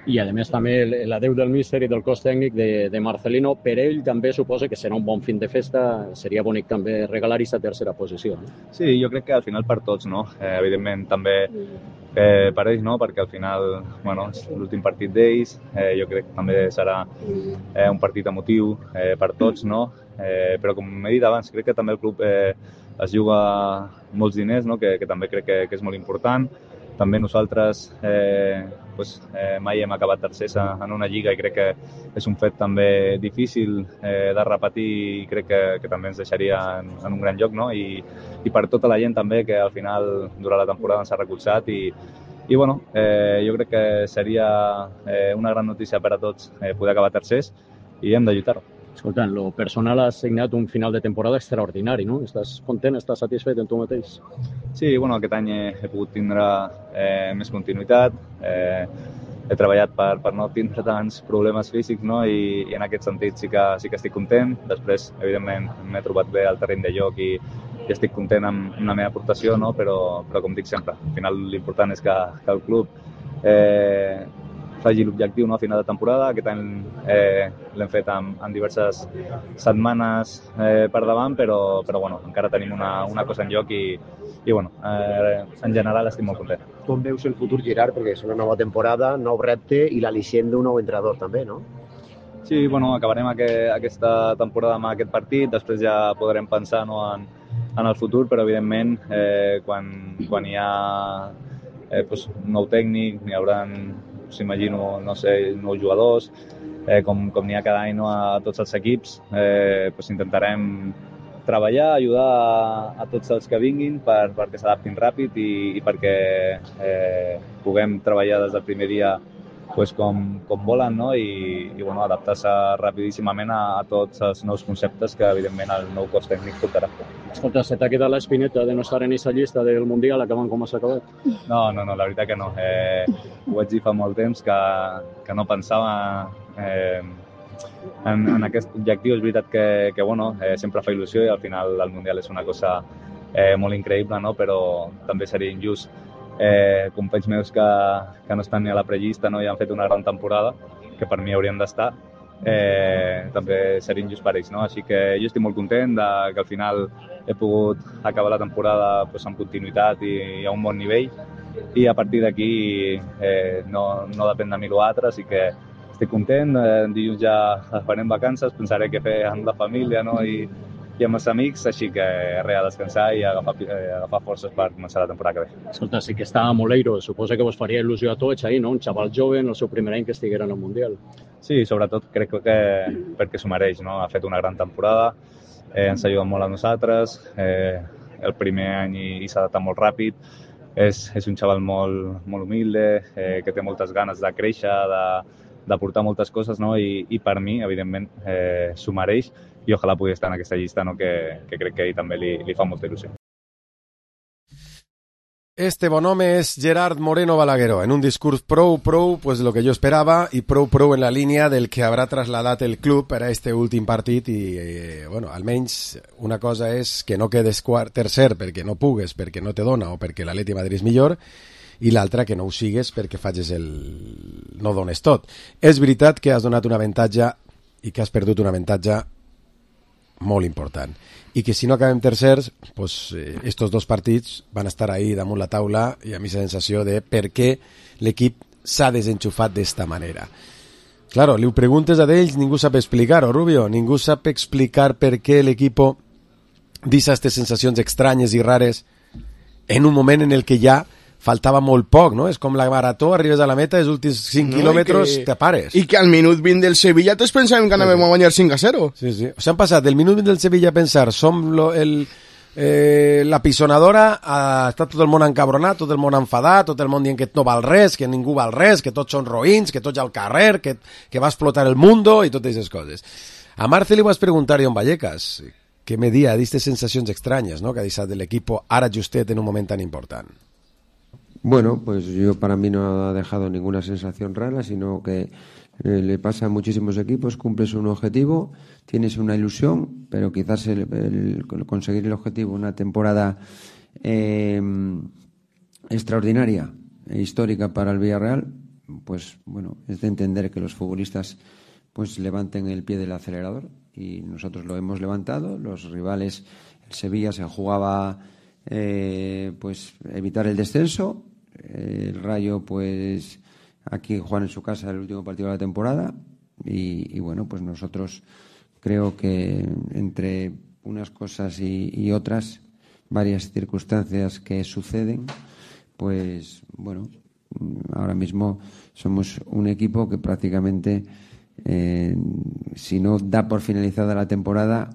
I a més també l'adeu del míster i del cos tècnic de, de Marcelino, per ell també suposa que serà un bon fin de festa, seria bonic també regalar aquesta tercera posició. No? Sí, jo crec que al final per tots, no? Eh, evidentment també eh, per ells, no? Perquè al final, bueno, és l'últim partit d'ells, eh, jo crec que també serà eh, un partit emotiu eh, per tots, no? Eh, però com he dit abans, crec que també el club eh, es juga molts diners, no? que, que també crec que, que és molt important. També nosaltres eh, pues, eh, mai hem acabat tercers en una lliga i crec que és un fet també difícil eh, de repetir i crec que, que també ens deixaria en, en un gran lloc, no? I, i per tota la gent també que al final durant la temporada ens ha recolzat i, i bueno, eh, jo crec que seria eh, una gran notícia per a tots eh, poder acabar tercers i hem de lluitar-ho. Escolta, en lo personal has signat un final de temporada extraordinari, no? Estàs content, estàs satisfet en tu mateix? Sí, bueno, aquest any he, he pogut tindre eh, més continuïtat, eh, he treballat per, per no tindre tants problemes físics, no? I, i en aquest sentit sí que, sí que estic content. Després, evidentment, m'he trobat bé al terreny de joc i, i estic content amb, amb la meva aportació, no? Però, però com dic sempre, al final l'important és que, que el club eh, faci l'objectiu, no? A final de temporada. Aquest any eh, l'hem fet en, en diverses setmanes eh, per davant, però, però bueno, encara tenim una, una cosa en joc i, i bueno, eh, en general estic molt content. Com veus el futur, Gerard? Perquè és una nova temporada, nou repte i l'al·licient d'un nou entrenador també, no? Sí, bueno, acabarem aqu aquesta temporada amb aquest partit, després ja podrem pensar, no, en, en el futur, però evidentment eh, quan, quan hi ha eh, pues, un nou tècnic, n'hi haurà, s'imagino, no sé, nous jugadors, eh, com, com n'hi ha cada any, no, a tots els equips, eh, pues intentarem treballar, ajudar a, a tots els que vinguin per, perquè s'adaptin ràpid i, i perquè eh, puguem treballar des del primer dia pues, com, com volen, no? I, i bueno, adaptar-se rapidíssimament a, a tots els nous conceptes que evidentment el nou cos tècnic portarà. Escolta, se t'ha quedat l'espineta de no estar en aquesta llista del Mundial acabant com has acabat? No, no, no, la veritat que no. Eh, ho vaig dir fa molt temps que, que no pensava eh, en, en aquest objectiu. És veritat que, que bueno, eh, sempre fa il·lusió i al final el Mundial és una cosa eh, molt increïble, no? Però també seria injust. Eh, companys meus que, que no estan ni a la prellista, no? I han fet una gran temporada, que per mi haurien d'estar, eh, també seria injust per ells, no? Així que jo estic molt content de, que al final he pogut acabar la temporada pues, amb continuïtat i, i a un bon nivell, i a partir d'aquí eh, no, no depèn de mi l'altre, així que estic content. Eh, dilluns ja farem vacances, pensaré què fer amb la família, no? I, i amb els amics, així que res, a descansar i agafar, eh, agafar forces per començar la temporada que ve. Escolta, sí que està a Moleiro, suposa que vos faria il·lusió a tots ahir, no? Un xaval jove en el seu primer any que estiguera en el Mundial. Sí, sobretot crec que perquè s'ho mereix, no? Ha fet una gran temporada, eh, ens ha ajudat molt a nosaltres, eh, el primer any i, i s'ha adaptat molt ràpid, és, és un xaval molt, molt humilde, eh, que té moltes ganes de créixer, de, de portar moltes coses, no? I, i per mi, evidentment, eh, s'ho mereix, i ojalà pugui estar en aquesta llista, no? que, que crec que a ell també li, li fa molta il·lusió. Este bon home és Gerard Moreno Balagueró, en un discurs prou, prou, pues lo que jo esperava, i prou, prou en la línia del que haurà trasladat el club per a este últim partit, i, eh, bueno, almenys una cosa és que no quedes quart, tercer perquè no pugues, perquè no te dona o perquè l'Atleti de Madrid és millor, i l'altra que no ho sigues perquè facis el... no dones tot. És veritat que has donat un avantatge i que has perdut un avantatge molt important, i que si no acabem tercers, pues, eh, estos dos partits van estar ahí damunt la taula, i a mi la sensació de per què l'equip s'ha desenxufat d'esta manera. Claro, li ho preguntes a d'ells, ningú sap explicar-ho, Rubio, ningú sap explicar per què l'equip deixa aquestes sensacions estranyes i rares en un moment en el que ja faltava molt poc, no? És com la marató, arribes a la meta, els últims cinc no, quilòmetres que, te pares. I que al minut vint del Sevilla tots pensàvem que anàvem a guanyar cinc a zero. Sí, sí. O sigui, han passat del minut vint del Sevilla a pensar som lo, el, eh, la pisonadora, a estar tot el món encabronat, tot el món enfadat, tot el món dient que no val res, que ningú val res, que tots són roïns, que tots al carrer, que, que va explotar el mundo i totes aquestes coses. A Marce li vas preguntar a Vallecas què me dia d'aquestes sensacions estranyes, no?, que ha deixat de l'equip ara justet en un moment tan important. Bueno, pues yo para mí no ha dejado ninguna sensación rara, sino que eh, le pasa a muchísimos equipos, cumples un objetivo, tienes una ilusión, pero quizás el, el, el conseguir el objetivo, una temporada eh, extraordinaria e histórica para el Villarreal, pues bueno, es de entender que los futbolistas pues levanten el pie del acelerador, y nosotros lo hemos levantado. Los rivales, el Sevilla se jugaba eh, pues evitar el descenso. El Rayo, pues aquí juegan en su casa el último partido de la temporada, y, y bueno, pues nosotros creo que entre unas cosas y, y otras, varias circunstancias que suceden, pues bueno, ahora mismo somos un equipo que prácticamente, eh, si no da por finalizada la temporada,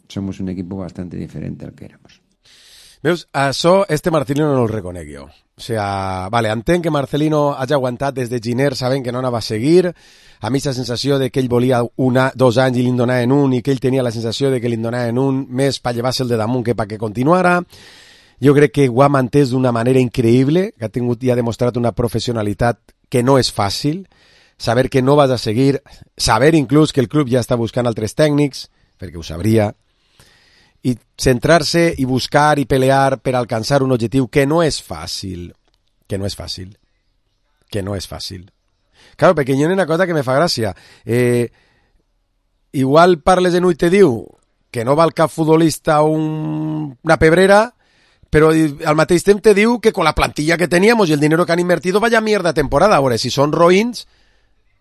somos un equipo bastante diferente al que éramos. Veus, això este Marcelino no el reconec jo. O sea, vale, entenc que Marcelino hagi aguantat des de Giner sabent que no anava a seguir. A mi la sensació de que ell volia una, dos anys i li en donaven un, i que ell tenia la sensació de que li en donaven un més per llevar-se el de damunt que perquè continuara. Jo crec que ho ha mantès d'una manera increïble, que ha tingut i ha demostrat una professionalitat que no és fàcil, saber que no vas a seguir, saber inclús que el club ja està buscant altres tècnics, perquè ho sabria, i centrar-se i buscar i pelear per alcançar un objectiu que no és fàcil, que no és fàcil, que no és fàcil. Claro, perquè hi ha una cosa que me fa gràcia. Eh, igual parles en ull te diu que no val cap futbolista un, una pebrera, però al mateix temps te diu que con la plantilla que teníamos y el dinero que han invertido vaya mierda temporada. Ahora, si son roïns,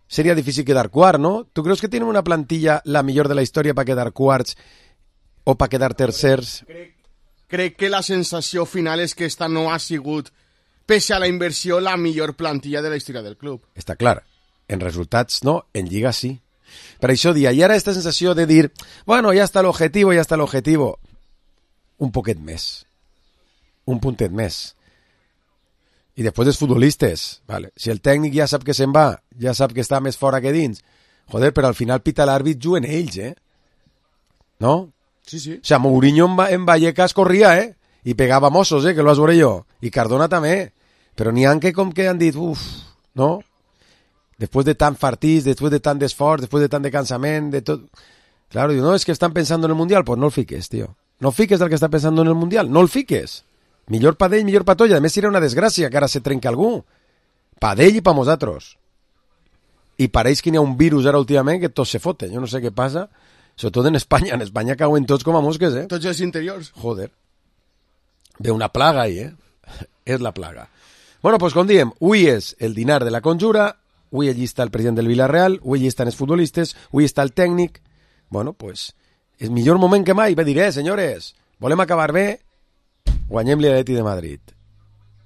sería difícil quedar quart, ¿no? ¿Tú crees que tienen una plantilla la millor de la història per quedar quarts o per quedar tercers? Crec, crec que la sensació final és que esta no ha sigut, pese a la inversió, la millor plantilla de la història del club. Està clar. En resultats no, en Lliga sí. Per això dia, i ara esta sensació de dir, bueno, ja està l'objectiu, ja està l'objectiu, un poquet més. Un puntet més. I després els futbolistes, vale. Si el tècnic ja sap que se'n va, ja sap que està més fora que dins, joder, però al final pita l'àrbit, juguen ells, eh? No? Sí, sí. O sea, Mourinho en, en Vallecas corría, eh? I pegava mossos, eh? Que lo has veure jo. I Cardona també. Però n'hi ha que com que han dit, uf, no? Después de tant partits, después de tant d'esforç, después de tant de cansament, de tot... Claro, diu, no, es que están pensando en el Mundial. Pues no el fiques, tío. No fiques del que està pensando en el Mundial. No el fiques. Millor pa d'ell, millor pa tot. I a més serà una desgràcia que ara se trenca algú. Pa d'ell i pa nosaltres. I pareix que n'hi ha un virus ara últimament que tot se fote. Jo no sé què passa. Sobretot en Espanya. En Espanya cauen tots com a mosques, eh? Tots els interiors. Joder. Ve una plaga ahí, eh? És la plaga. Bueno, pues com diem, avui és el dinar de la conjura, avui allí està el president del Villarreal, avui allí estan els futbolistes, avui està el tècnic. Bueno, pues, és millor moment que mai. Ve dir, eh, senyores, volem acabar bé, guanyem-li a l'Atleti de Madrid.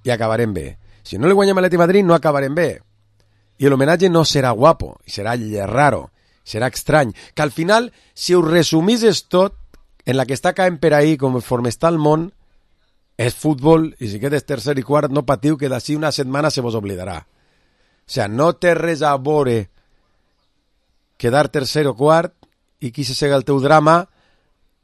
I acabarem bé. Si no li guanyem a l'Atleti de Madrid, no acabarem bé. I l'homenatge no serà guapo, serà raro, serà estrany. Que al final, si ho resumisses tot, en la que està caent per ahí, conforme està el món, és futbol, i si quedes tercer i quart, no patiu, que d'ací una setmana se vos oblidarà. O sea, no té res a veure quedar tercer o quart i qui se sega el teu drama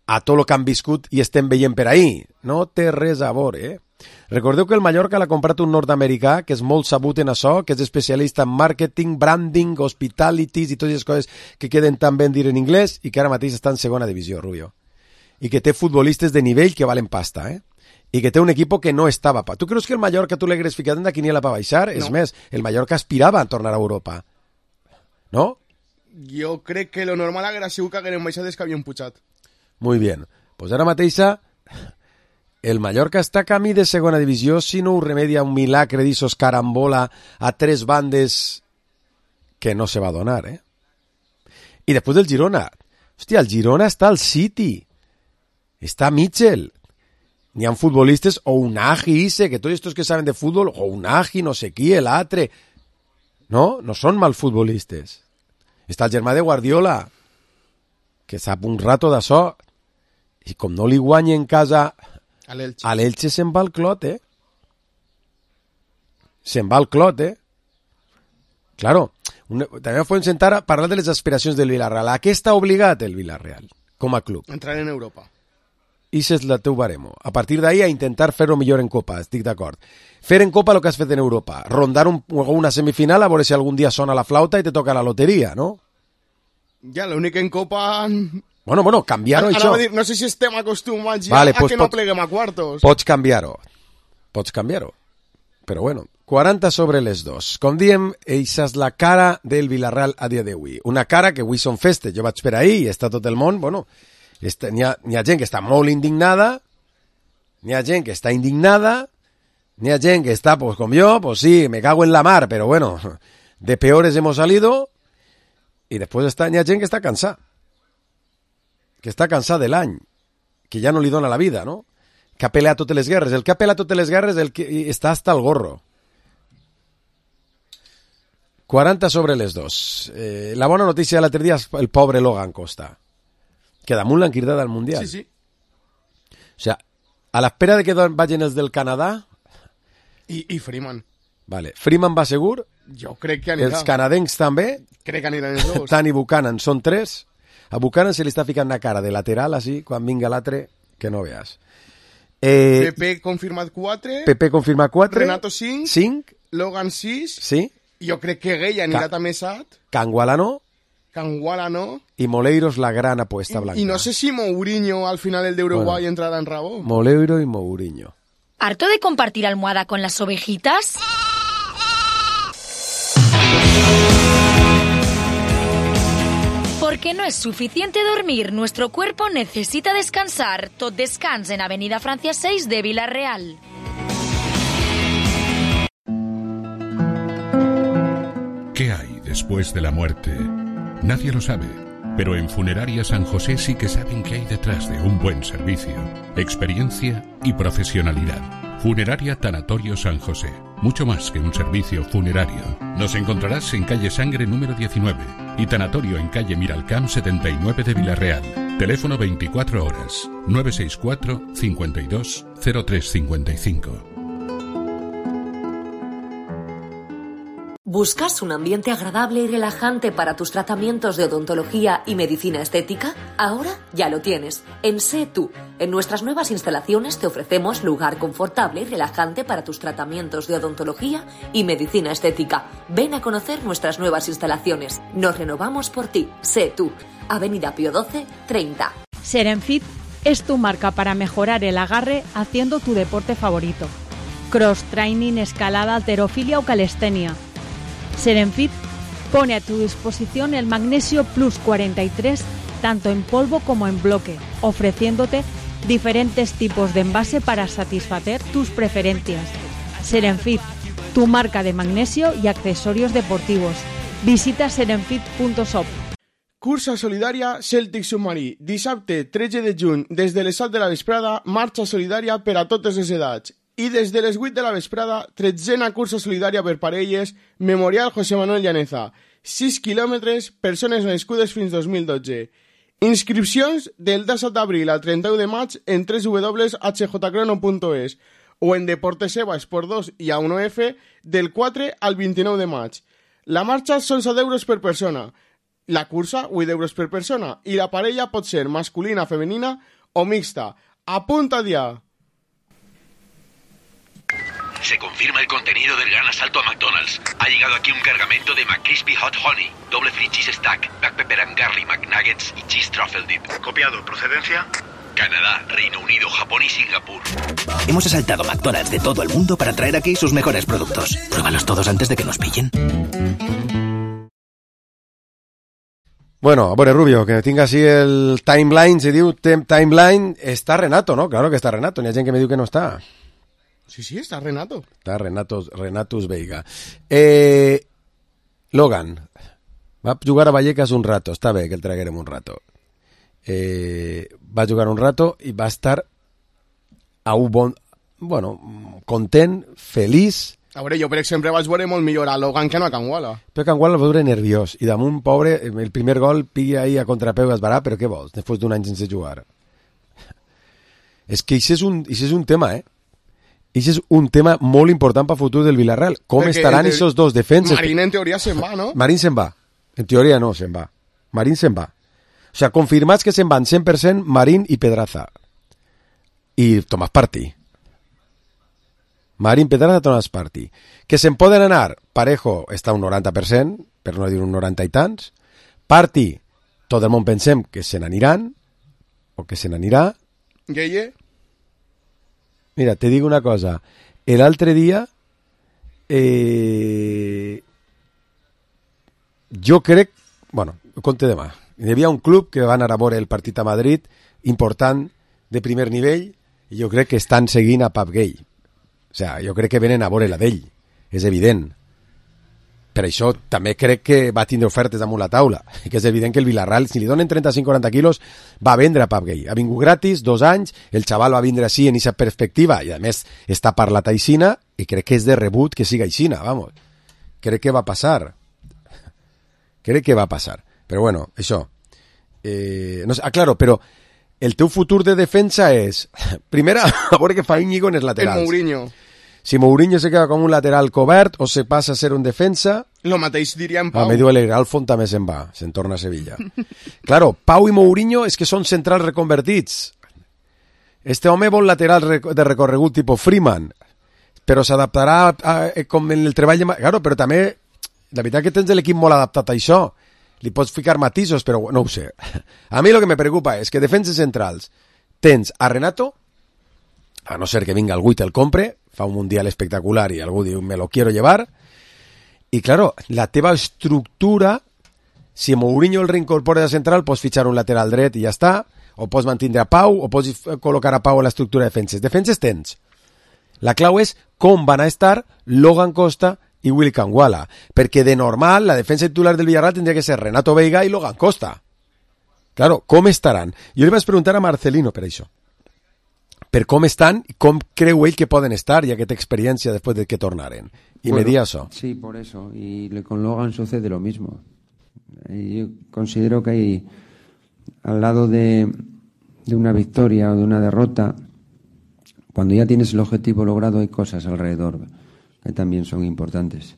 a tot el que han viscut i estem veient per ahí. No té res a veure, eh? Recordeu que el Mallorca l'ha comprat un nord-americà que és molt sabut en això, que és especialista en màrqueting, branding, hospitalities i totes les coses que queden tan ben dir en anglès i que ara mateix està en segona divisió, Rubio. I que té futbolistes de nivell que valen pasta, eh? I que té un equipo que no estava pa. Tu creus que el Mallorca tu l'hagués ficat en la quiniela per baixar? No. És més, el Mallorca aspirava a tornar a Europa. No? Jo crec que lo normal haguera sigut que hagueren baixat des que havien pujat. Muy bien. Pues ara mateixa el Mallorca està camí de segona divisió si no ho remedia un milagre d'issos carambola a tres bandes que no se va donar, eh? I després del Girona. Hòstia, el Girona està al City. Està Mitchell. N'hi ha futbolistes, o Unagi, Ise, que tots estos que saben de fútbol, o Unagi, no sé qui, el altre. No, no són mal futbolistes. Està el germà de Guardiola, que sap un rato d'això, i com no li guanya en casa a l'Elche, a l'Elche se'n va el clot, eh? Se'n va el clot, eh? Claro, un, també podem sentar a parlar de les aspiracions del Villarreal. A què està obligat el Villarreal, com a club? Entrar en Europa. I és el teu baremo. A partir d'ahí a intentar fer-ho millor en Copa, estic d'acord. Fer en Copa el que has fet en Europa. Rondar un, una semifinal a veure si algun dia sona la flauta i te toca la loteria, no? Ja, l'únic en Copa... Bueno, bueno, canviar-ho, això. Dir, no sé si estem acostumats ja vale, a pues que no pots, pleguem a quartos. Pots canviar-ho. Pots canviar-ho. Però bueno, quaranta sobre les dos. Com diem, eixa és la cara del Villarreal a dia d'avui. Una cara que avui són festes. Jo vaig per ahí i està tot el món, bueno... N'hi ha, ha gent que està molt indignada, n'hi ha gent que està indignada, n'hi ha gent que està, pues com jo, pues sí, me cago en la mar, pero bueno, de peores hemos salido, y después está, n'hi ha gent que està cansada, que està cansada de l'any, que ja no li dona la vida, no? Que ha peleat totes les guerres. El que ha peleat totes les guerres el que està hasta el gorro. quaranta sobre les dos. Eh, la bona notícia de l'altre dia és el pobre Logan Costa, que damunt l'han cridat al Mundial. Sí, sí. O sea, a l'espera de que vagin els del Canadà... I, i Freeman. Vale. Freeman va segur? Jo crec que anirà. Els canadencs també? Crec que aniran els dos. Tant i Buchanan són tres. A Buchanan se li està ficant una cara de lateral, així, quan vinga l'altre, que no veas. Eh, Pepe confirmat quatre. Pepe confirmat quatre. Renato cinc. cinc. Logan sis. Sí. Jo crec que Gay anirà Ca també set. Canguala no. Canguala no. Y Moleiros la gran apuesta blanca. Y no sé si Mourinho al final el de Uruguay bueno, entrará en rabo. Moleiro y Mourinho. ¿Harto de compartir almohada con las ovejitas? Porque no es suficiente dormir, nuestro cuerpo necesita descansar. Tot descans en Avenida Francia seis de Villarreal. ¿Qué hay después de la muerte? Nadie lo sabe, pero en Funeraria San José sí que saben qué hay detrás de un buen servicio, experiencia y profesionalidad. Funeraria Tanatorio San José, mucho más que un servicio funerario. Nos encontrarás en calle Sangre número diecinueve y Tanatorio en calle Miralcamp setenta y nueve de Villarreal. Teléfono veinticuatro horas, nueve seis cuatro, cincuenta y dos, cero tres cincuenta y cinco. ¿Buscas un ambiente agradable y relajante para tus tratamientos de odontología y medicina estética? Ahora ya lo tienes. En Sé Tú. En nuestras nuevas instalaciones te ofrecemos lugar confortable y relajante para tus tratamientos de odontología y medicina estética. Ven a conocer nuestras nuevas instalaciones. Nos renovamos por ti. Sé Tú. Avenida Pío doce, treinta. Serenfit es tu marca para mejorar el agarre haciendo tu deporte favorito. Cross training, escalada, halterofilia o calistenia. Serenfit pone a tu disposición el Magnesio Plus cuarenta y tres tanto en polvo como en bloque, ofreciéndote diferentes tipos de envase para satisfacer tus preferencias. Serenfit, tu marca de magnesio y accesorios deportivos. Visita serenfit punto shop. Cursa solidària Cèltic Submarí. Dissabte tretze de juny, des de les set de la vesprada, marxa solidària per a totes les edats. I des de les vuit de la vesprada, tretzena cursa solidària per parelles, Memorial José Manuel Llaneza. sis quilòmetres, persones nascudes fins dos mil dotze. Inscripcions del disset d'abril al trenta-u de maig en w w w punt h j crono punt es o en Deporteseva Esport dos i A uno F del quatre al vint-i-nou de maig. La marxa són set euros per persona. La cursa, vuit euros per persona. I la parella pot ser masculina, femenina o mixta. Apunta ya. Se confirma el contenido del gran asalto a McDonald's. Ha llegado aquí un cargamento de McCrispy Hot Honey, doble free cheese stack, black pepper and garlic McNuggets y cheese truffle dip. Copiado. ¿Procedencia? Canadá, Reino Unido, Japón y Singapur. Hemos asaltado McDonald's de todo el mundo para traer aquí sus mejores productos. Pruébalos todos antes de que nos pillen. Bueno, a veure, Rubio, que tinc així el timeline, se diu timeline, està Renato, ¿no? Claro que està Renato, n'hi ha gent que me diu que no està. Sí, sí, està Renato. Està Renato, Renatus Veiga. Eh, Logan va jugar a Vallecas un rato, està bé que el traguerem un rato. Eh, va jugar un rato i va estar a un bon... Bueno, content, feliç. A veure, jo per exemple vaig veure molt millor a Logan que no a Canguala. Però Canguala el va veure nerviós i damunt, pobre, el primer gol pilla ahí a contrapeu i es varà, però què vols, després d'un any sense jugar? És que això és un, això és un tema, eh? Això és un tema molt important per futur del Villarreal. Com Perquè estaran aquests dos defenses? Marín en teoria se'n va, no? Marín se'n va. En teoria no, se'n va. Marín se'n va. O sea, confirmats que se'n van cent per cent Marín i Pedraza. I Tomàs Partí. Marín, Pedraza, Tomàs Partí. Que se'n poden anar, Parejo està un noranta per cent, per no dir un noranta i tants. Partí, tot el món pensem que se n'aniran, o que se n'anirà. Gueye. Mira, te digo una cosa. El altre dia, eh, jo crec, bueno, ho conte demà. Hi havia un club que va anar a veure el partit a Madrid, important, de primer nivell, i jo crec que estan seguint a Pap Gay. O sea, jo crec que venen a veure la d'ell. És evident. Per això també crec que va tindre ofertes damunt la taula. Que és evident que el Villarreal, si li donen trenta-cinc a quaranta quilos, va vendre a Pap Gay. Ha vingut gratis, dos anys, el xaval va vindre així en aquesta perspectiva, i a més està parlat aixina, i crec que és de rebut que siga aixina, vamos. Crec que va passar. Crec que va passar. Però bueno, això. Eh, no sé, ah, claro, però el teu futur de defensa és, primera, a veure què fa Íñigo en els laterals. El Mourinho. Si Mourinho se queda com un lateral cobert o se passa a ser un defensa... Lo mateix diria en Pau. Ah, me diu el Alfon també se'n va, se'n torna a Sevilla. Claro, Pau i Mourinho és que són centrals reconvertits. Este home vol lateral de recorregut tipus Freeman, però s'adaptarà a, a, com en el treball de... Claro, però també, la veritat que tens l'equip molt adaptat a això. Li pots ficar matisos, però no ho sé. A mi el que me preocupa és que defenses centrals tens a Renato, a no ser que vinga algú i te'l compre, fa un mundial espectacular i algú diu me lo quiero llevar, i claro, la teva estructura, si Mourinho el reincorpora de central, pots fitxar un lateral dret i ja està, o pots mantindre a Pau, o pots col·locar a Pau a l'estructura de defenses. Defenses tens. La clau és com van a estar Logan Costa i Willy Canguala, perquè de normal la defensa titular del Villarreal tindria que ser Renato Veiga i Logan Costa. Claro, com estaran? Jo li vaig preguntar a Marcelino per això. Per com estan i com creu ell que poden estar, ya que té experiència después de que tornaren. Y bueno, me di eso. Sí, por eso. Y con Logan sucede lo mismo. Yo considero que hay, al lado de, de una victoria o de una derrota, cuando ya tienes el objetivo logrado, hay cosas alrededor que también son importantes.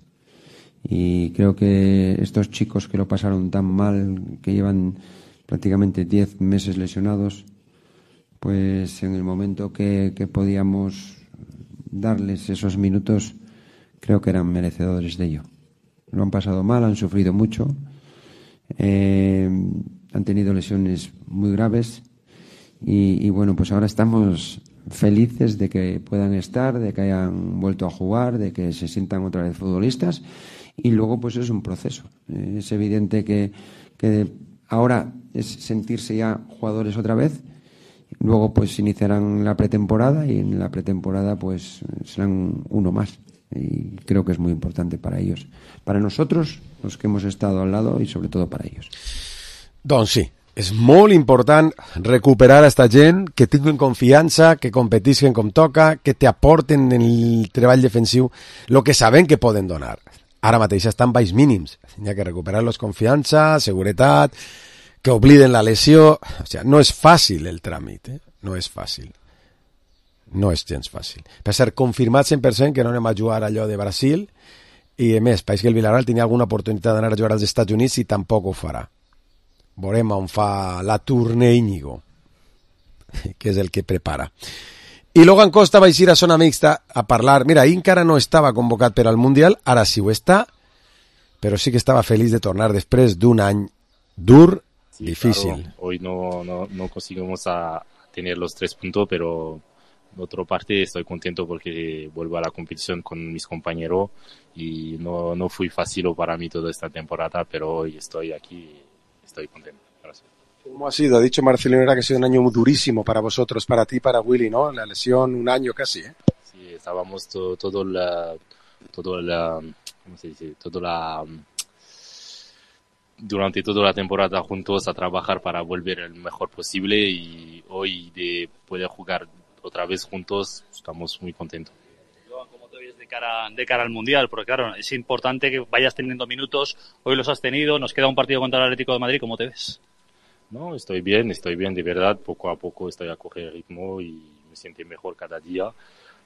Y creo que estos chicos que lo pasaron tan mal, que llevan prácticamente diez meses lesionados, pues en el momento que, que podíamos darles esos minutos, creo que eran merecedores de ello. Lo han pasado mal, han sufrido mucho, eh, han tenido lesiones muy graves y, y bueno, pues ahora estamos felices de que puedan estar, de que hayan vuelto a jugar, de que se sientan otra vez futbolistas y luego pues es un proceso. Eh, es evidente que, que ahora es sentirse ya jugadores otra vez, luego pues iniciarán la pretemporada y en la pretemporada pues serán uno más y creo que es muy importante para ellos, para nosotros, los que hemos estado al lado y sobre todo para ellos. Doncs sí, és molt important recuperar a esta gent, que tinguin confiança, que competisquen com toca, que te aporten en el treball defensiu el que saben que poden donar. Ara mateix estan baix mínims, hi ha que recuperar-los confiança, seguretat, que obliden la lesió. O sigui, no és fàcil el tràmit, eh? No és fàcil. No és gens fàcil. Per ser confirmat cent per cent que no anem a jugar allò de Brasil i, a més, pareix que el Villarreal tenia alguna oportunitat d'anar a jugar als Estats Units i tampoc ho farà. Veurem on fa la tournée Íñigo, que és el que prepara. I Logan Costa va eixir a zona mixta a parlar. Mira, ahir encara no estava convocat per al Mundial, ara sí ho està, però sí que estava feliç de tornar després d'un any dur, sí, difícil. Claro, hoy no, no, no conseguimos a tener los tres puntos, pero por otra parte estoy contento porque vuelvo a la competición con mis compañeros y no, no fue fácil para mí toda esta temporada, pero hoy estoy aquí y estoy contento. Gracias. ¿Cómo ha sido? Ha dicho Marcelino que ha sido un año muy durísimo para vosotros, para ti, para Willy, ¿no? La lesión, un año casi, ¿eh? Sí, estábamos todo, todo la, todo la, ¿cómo se dice? Todo la, durante toda la temporada juntos a trabajar para volver el mejor posible y hoy de poder jugar otra vez juntos estamos muy contentos. ¿Cómo te ves de cara, de cara al Mundial? Porque claro, es importante que vayas teniendo minutos, hoy los has tenido, nos queda un partido contra el Atlético de Madrid, ¿cómo te ves? No, estoy bien, estoy bien de verdad, poco a poco estoy a coger ritmo y me siento mejor cada día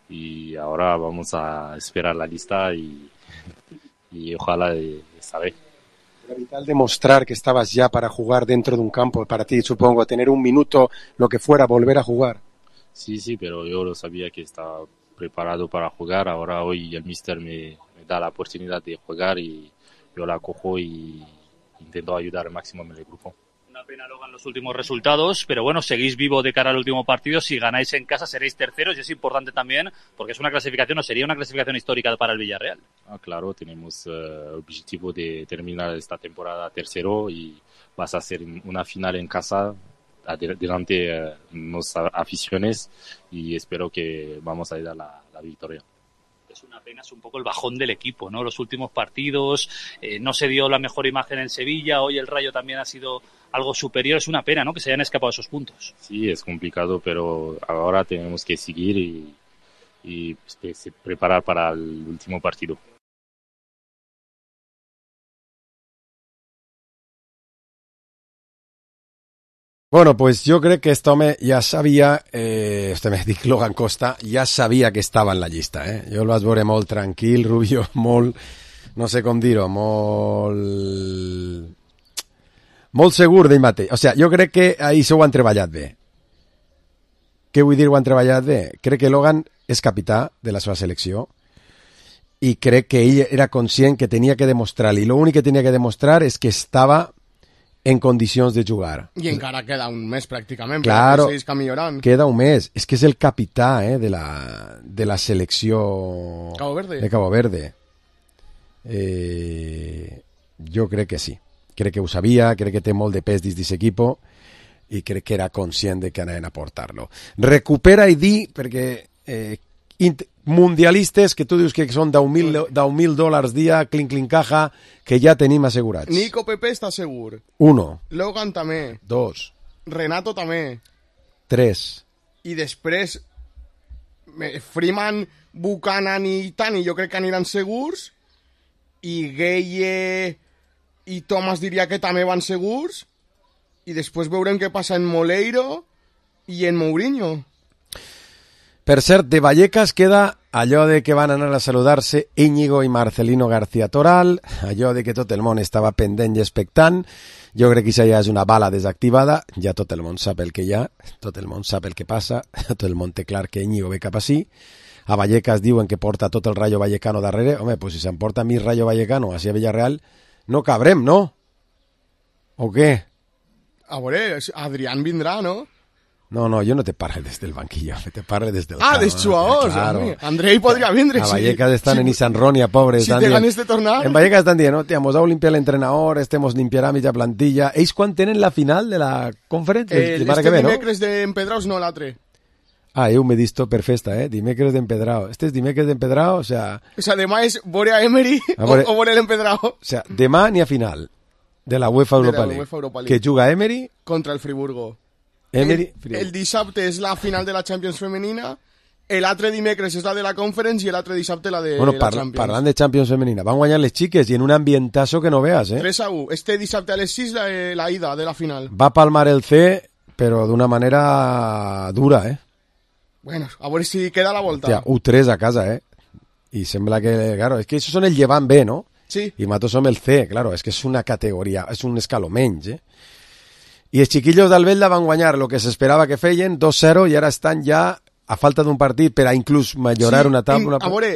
y ahora vamos a esperar la lista y, y ojalá esta vez. Era vital demostrar que estabas ya para jugar dentro de un campo, para ti supongo, tener un minuto, lo que fuera, volver a jugar. Sí, sí, pero yo lo sabía que estaba preparado para jugar. Ahora hoy el míster me, me da la oportunidad de jugar y yo la cojo y intento ayudar al máximo en el grupo. Una pena, Logan, los últimos resultados, pero bueno, seguís vivo de cara al último partido. Si ganáis en casa seréis terceros y es importante también porque es una clasificación, o sería una clasificación histórica para el Villarreal. Ah, claro, tenemos el uh, objetivo de terminar esta temporada tercero y vas a hacer una final en casa delante de nuestras aficiones y espero que vamos a dar la, la victoria. Es una pena, es un poco el bajón del equipo, ¿no? Los últimos partidos, eh, no se dio la mejor imagen en Sevilla, hoy el Rayo también ha sido algo superior, es una pena, ¿no? Que se hayan escapado esos puntos. Sí, es complicado, pero ahora tenemos que seguir y, y pues, preparar para el último partido. Bueno, pues yo creo que este home ja sabia, eh, este me dic Logan Costa, ja sabia que estava en la llista, eh? Jo el vaig veure molt tranquil, Rubio, molt, no sé com dir-ho, molt... molt segur d'ell mateix. O sigui, jo crec que ahir s'ho han treballat bé. Què vull dir ho han treballat bé? Crec que Logan és capità de la seva selecció i crec que ell era conscient que tenia que demostrar, i l'únic que tenia que demostrar és que estava en condicions de jugar. I encara queda un mes pràcticament, claro, perquè segueix millorant. Queda un mes. És que és el capità eh, de, la, de la selecció Cabo Verde. de Cabo Verde. Eh, jo crec que sí. Crec que ho sabia, crec que té molt de pes dins d'aquest equip i crec que era conscient de que anaven a portar-lo. Recupera i di, perquè eh, mundialistes que tu dius que són deu mil dòlars dia, clink, clink, caja, que ja tenim assegurats. Nico Pepe està segur. Uno. Logan també. Dos. Renato també. Tres. I després Freeman, Buchanan i Tani jo crec que aniran segurs i Gueye i Thomas diria que també van segurs i després veurem què passa en Moleiro i en Mourinho. Per cert, de Vallecas queda allò de que van anar a saludar-se Íñigo i Marcelino García Toral, allò de que tot el món estava pendent i expectant, jo crec que això ja és una bala desactivada, ja tot el món sap el que hi ha, tot el món sap el que passa, tot el món té clar que Íñigo ve cap ací, a Vallecas diuen que porta tot el Rayo Vallecano darrere, home, pues si s'emporta mi Rayo Vallecano hacia Villarreal, no cabrem, no? O què? A veure, Adrián vindrà, no? No, no, yo no te parle desde el banquillo, te parle desde el Ah, campo, dels jugadors, claro. home. Andrei podria vindre, A sí. Vallecas están sí. en Isan Ronia, pobres. Si té ganes de tornar. En Vallecas están dient, hòstia, mos heu limpiat l'entrenador, este mos limpiarà mitja plantilla. Ells quan tenen la final de la conferència? Eh, El, el este que ve, no? dimecres d'Empedraus, no l'altre. Ah, eu m'he visto per festa, eh? Dimecres d'Empedrao. Este és dimecres d'Empedrao, o sea... O sea, demà és veure a Emery A veure- o, o veure l'Empedrau. O sea, demà n'hi ha final de la UEFA De la Europa League. UEFA Europa League. Que juga Emery, Contra el Friburgo. Emery... El, el dissabte és la final de la Champions femenina, l'altre dimecres és la de la Conference i l'altre dissabte la de Bueno, la par Champions. parlant de Champions femenina, van guanyar les xiques i en un ambientazo que no veas, eh? tres a u. Este dissabte a les sis la, la ida de la final. Va palmar el C, però d'una manera dura, eh? Bueno, a veure si queda la volta. Hòstia, u tres a casa, eh? I sembla que, claro, es que esos son el llevant B, ¿no? Sí. Y Matos som el C, claro, es que es una categoria, es un escaló menys, eh? I els xiquillos d'Albelda van guanyar lo que s'esperava que feien, dos cero, i ara estan ja a falta d'un partit per a inclús millorar sí, una taula. Una... A veure,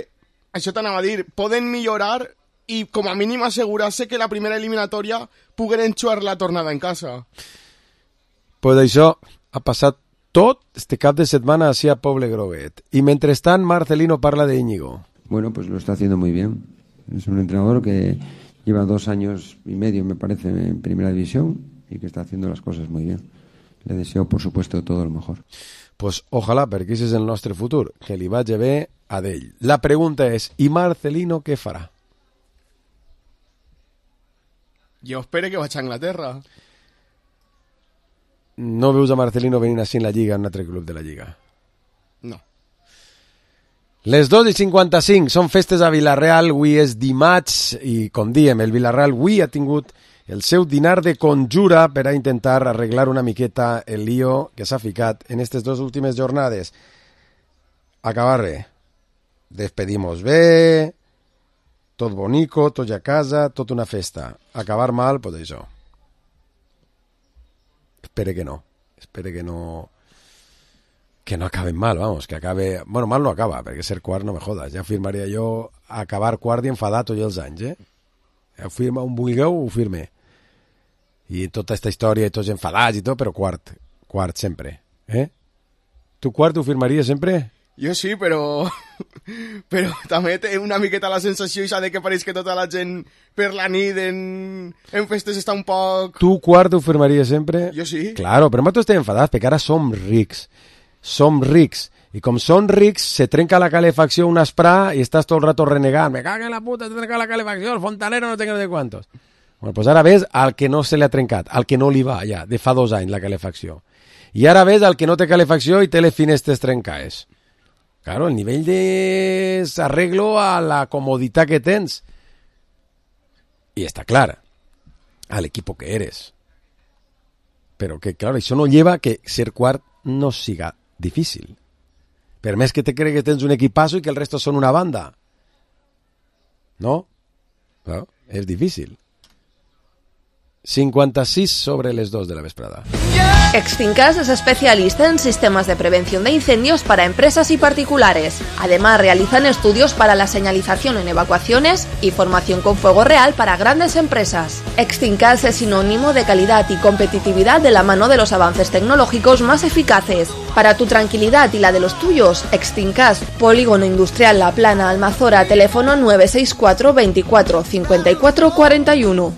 això t'anava a dir, poden millorar i com a mínim assegurar-se que la primera eliminatòria puguen enxuar la tornada en casa. Pues això ha passat tot este cap de setmana hacia Poble Groguet. Y mentrestant, Marcelino parla de Íñigo. Bueno, pues lo está haciendo muy bien. Es un entrenador que lleva dos años y medio, me parece, en primera división y que está haciendo las cosas muy bien. Le deseo, por supuesto, todo lo mejor. Pues ojalà, perquè aquest és el nostre futur, que li vagi bé a d'ell. La pregunta és, i Marcelino què farà? Jo espero que vaig a Anglaterra. No veus a Marcelino venint així en la Lliga, en un altre club de la Lliga? No. Les dos i cinquanta-cinc són festes a Vilareal, avui és dimarts i, com diem, el Vilareal avui ha tingut el seu dinar de conjura per a intentar arreglar una miqueta el lío que s'ha ficat en aquestes dues últimes jornades. Acabar bé. Despedimos bé, tot bonico, tot ja a casa, tot una festa. Acabar mal, pues això. Espere que no. Espere que no... Que no acaben mal, vamos, que acabe... Bueno, mal no acaba, perquè ser quart no me jodas. Ja firmaria jo acabar quart i enfadar tots els anys, eh? Ho firma un vulgueu, ho firme. I tota aquesta història i tots enfadats i tot, però quart. Quart sempre, eh? Tu quart ho firmaries sempre? Jo sí, però... però també té una miqueta la sensació i de que pareix que tota la gent per la nit en, en festes està un poc... Tu quart ho firmaries sempre? Jo sí. Claro, però nosaltres estem enfadats perquè ara som rics. Som rics. I com són rics, se trenca la calefacció un esprà i estàs tot el rato renegant. Me caga en la puta, se trenca la calefacció, el fontanero no tenga de quantos. Bueno, pues ara ves al que no se li ha trencat, al que no li va ja, de fa dos anys la calefacció. I ara ves al que no té calefacció i té les finestres trencades. Claro, el nivell d'arreglo a la comoditat que tens. I està clar, al equipo que eres. Però que, claro, això no lleva que ser quart no siga difícil. Per més que te cregues que tens un equipazo i que el resto són una banda. No? No? És difícil. cincuenta-seis sobre les dos de la vesprada. Extincas es especialista en sistemas de prevención de incendios para empresas y particulares. Además, realizan estudios para la señalización en evacuaciones y formación con fuego real para grandes empresas. Extincas es sinónimo de calidad y competitividad de la mano de los avances tecnológicos más eficaces. Para tu tranquilidad y la de los tuyos, Extincas, Polígono Industrial La Plana, Almazora, teléfono nueve seis cuatro veinticuatro cincuenta y cuatro cuarenta y uno.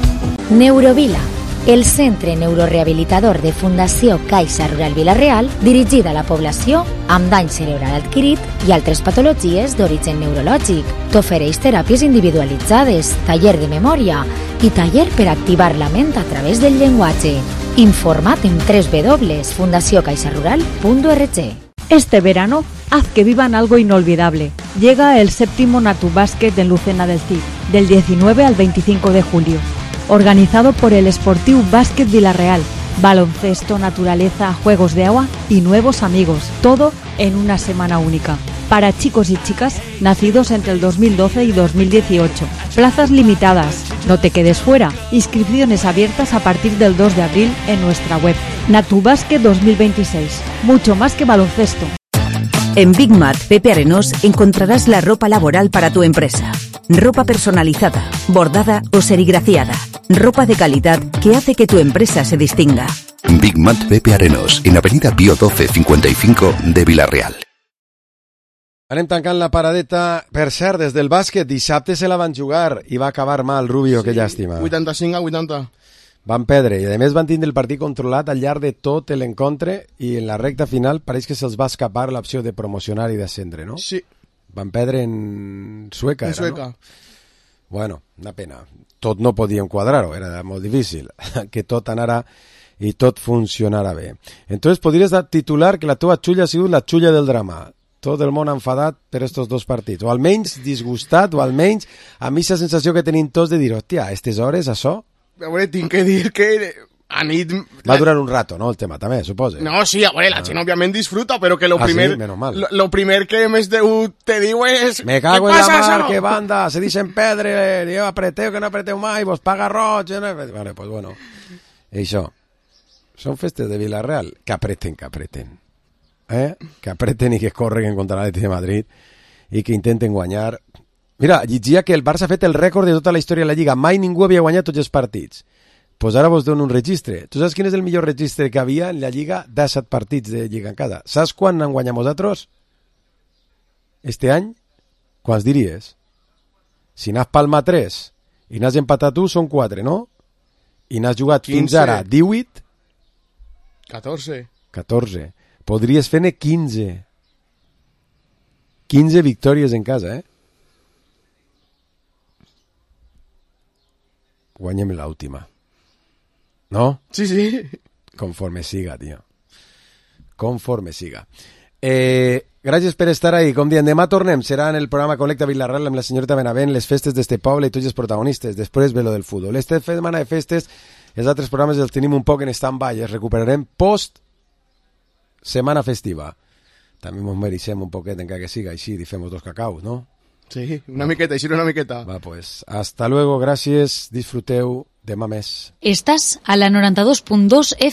Neurovila, el centre neurorehabilitador de Fundació Caixa Rural Vila-real, dirigida a la població amb dany cerebral adquirit i altres patologies d'origen neurològic. T'ofereix teràpies individualitzades, taller de memòria i taller per activar la ment a través del llenguatge. Informa't en doble u doble u doble u punto fundació caixa rural punto org. Este verano, haz que vivan algo inolvidable. Llega el séptimo Natu Básquet en Lucena del Cid, del diecinueve al veinticinco de julio. Organizado por el Sportiu Básquet Vila-real. Baloncesto, naturaleza, juegos de agua y nuevos amigos. Todo en una semana única. para chicos y chicas nacidos entre el dos mil doce y dos mil dieciocho. Plazas limitadas. No te quedes fuera. Inscripciones abiertas a partir del dos de abril en nuestra web. Natubasket dos mil veintiséis. Mucho más que baloncesto. En Big Mat Pepe Arenós encontrarás la ropa laboral para tu empresa. Ropa personalizada, bordada o serigrafiada. Ropa de calidad que hace que tu empresa se distinga. Big Mat Pepe Arenós, en Avenida Pío doce cincuenta y cinco de Vila-real. Anem tancant la paradeta. Per cert, des del bàsquet, dissabte se la van jugar i va acabar mal, Rubio, sí, que llàstima. vuitanta-cinc a vuitanta. Van perdre i a més van tindre el partit controlat al llarg de tot l'encontre i en la recta final pareix que se'ls va escapar l'opció de promocionar i d'ascendre, no? Sí. Van perdre en Sueca, en era, Sueca. No? Bueno, una pena. Tot no podíem quadrar-ho, era molt difícil que tot anara i tot funcionara bé. Entonces podries titular que la teva xulla ha sigut la xulla del drama. Tot el món enfadat per estos dos partits, o almenys disgustat, o almenys a mi la sensació que tenim tots de dir, hòstia, a aquestes hores això... A veure, tinc que dir que a nit... Va durar un rato, no, el tema també, suposo. No, sí, a veure, la gent òbviament disfruta, però que lo ah, primer... Sí? Menos mal. Lo, lo primer que més de, te diu és... Me cago en la mar, que banda, se dicen pedre, yo apreteo que no apreteu mai, vos paga roig... No... Vale, pues bueno, i això. Són festes de Vila-real, que apreten, que apreten. Eh? Que apreten i que corren contra l'Atlètic de Madrid i que intenten guanyar. Mira, llegia que el Barça ha fet el rècord de tota la història de la Lliga. Mai ningú havia guanyat tots els partits. Doncs pues ara vos dono un registre. Tu saps quin és el millor registre que havia en la Lliga? disset partits de Lliga en cada. Saps quan han guanyat vosaltres? Este any? Quants diries? Si n'has palmat tres i n'has empatat tu, són quatre, no? I n'has jugat quinze. Fins ara divuit? catorze. catorze. Podries fer-ne quinze. quinze victòries en casa, eh? Guanyem l'última. ¿No? Sí, sí. Conforme siga, tío. Conforme siga. Eh, gràcies per estar ahí. Com diem, demà tornem. Serà en el programa Connecta Vila-real amb la senyoreta Benavent, les festes d'este poble i tots els protagonistes. Després ve lo del futbol. Esta setmana de festes, els altres programes els tenim un poc en stand-by. Els recuperarem post setmana festiva. També ens mereixem un poquet encara que siga així i fem dos cacaus, no? Sí, una miqueta, així una miqueta. Va, pues, hasta luego, gràcies, disfruteu, demà més. Estàs a la noranta dos punt dos F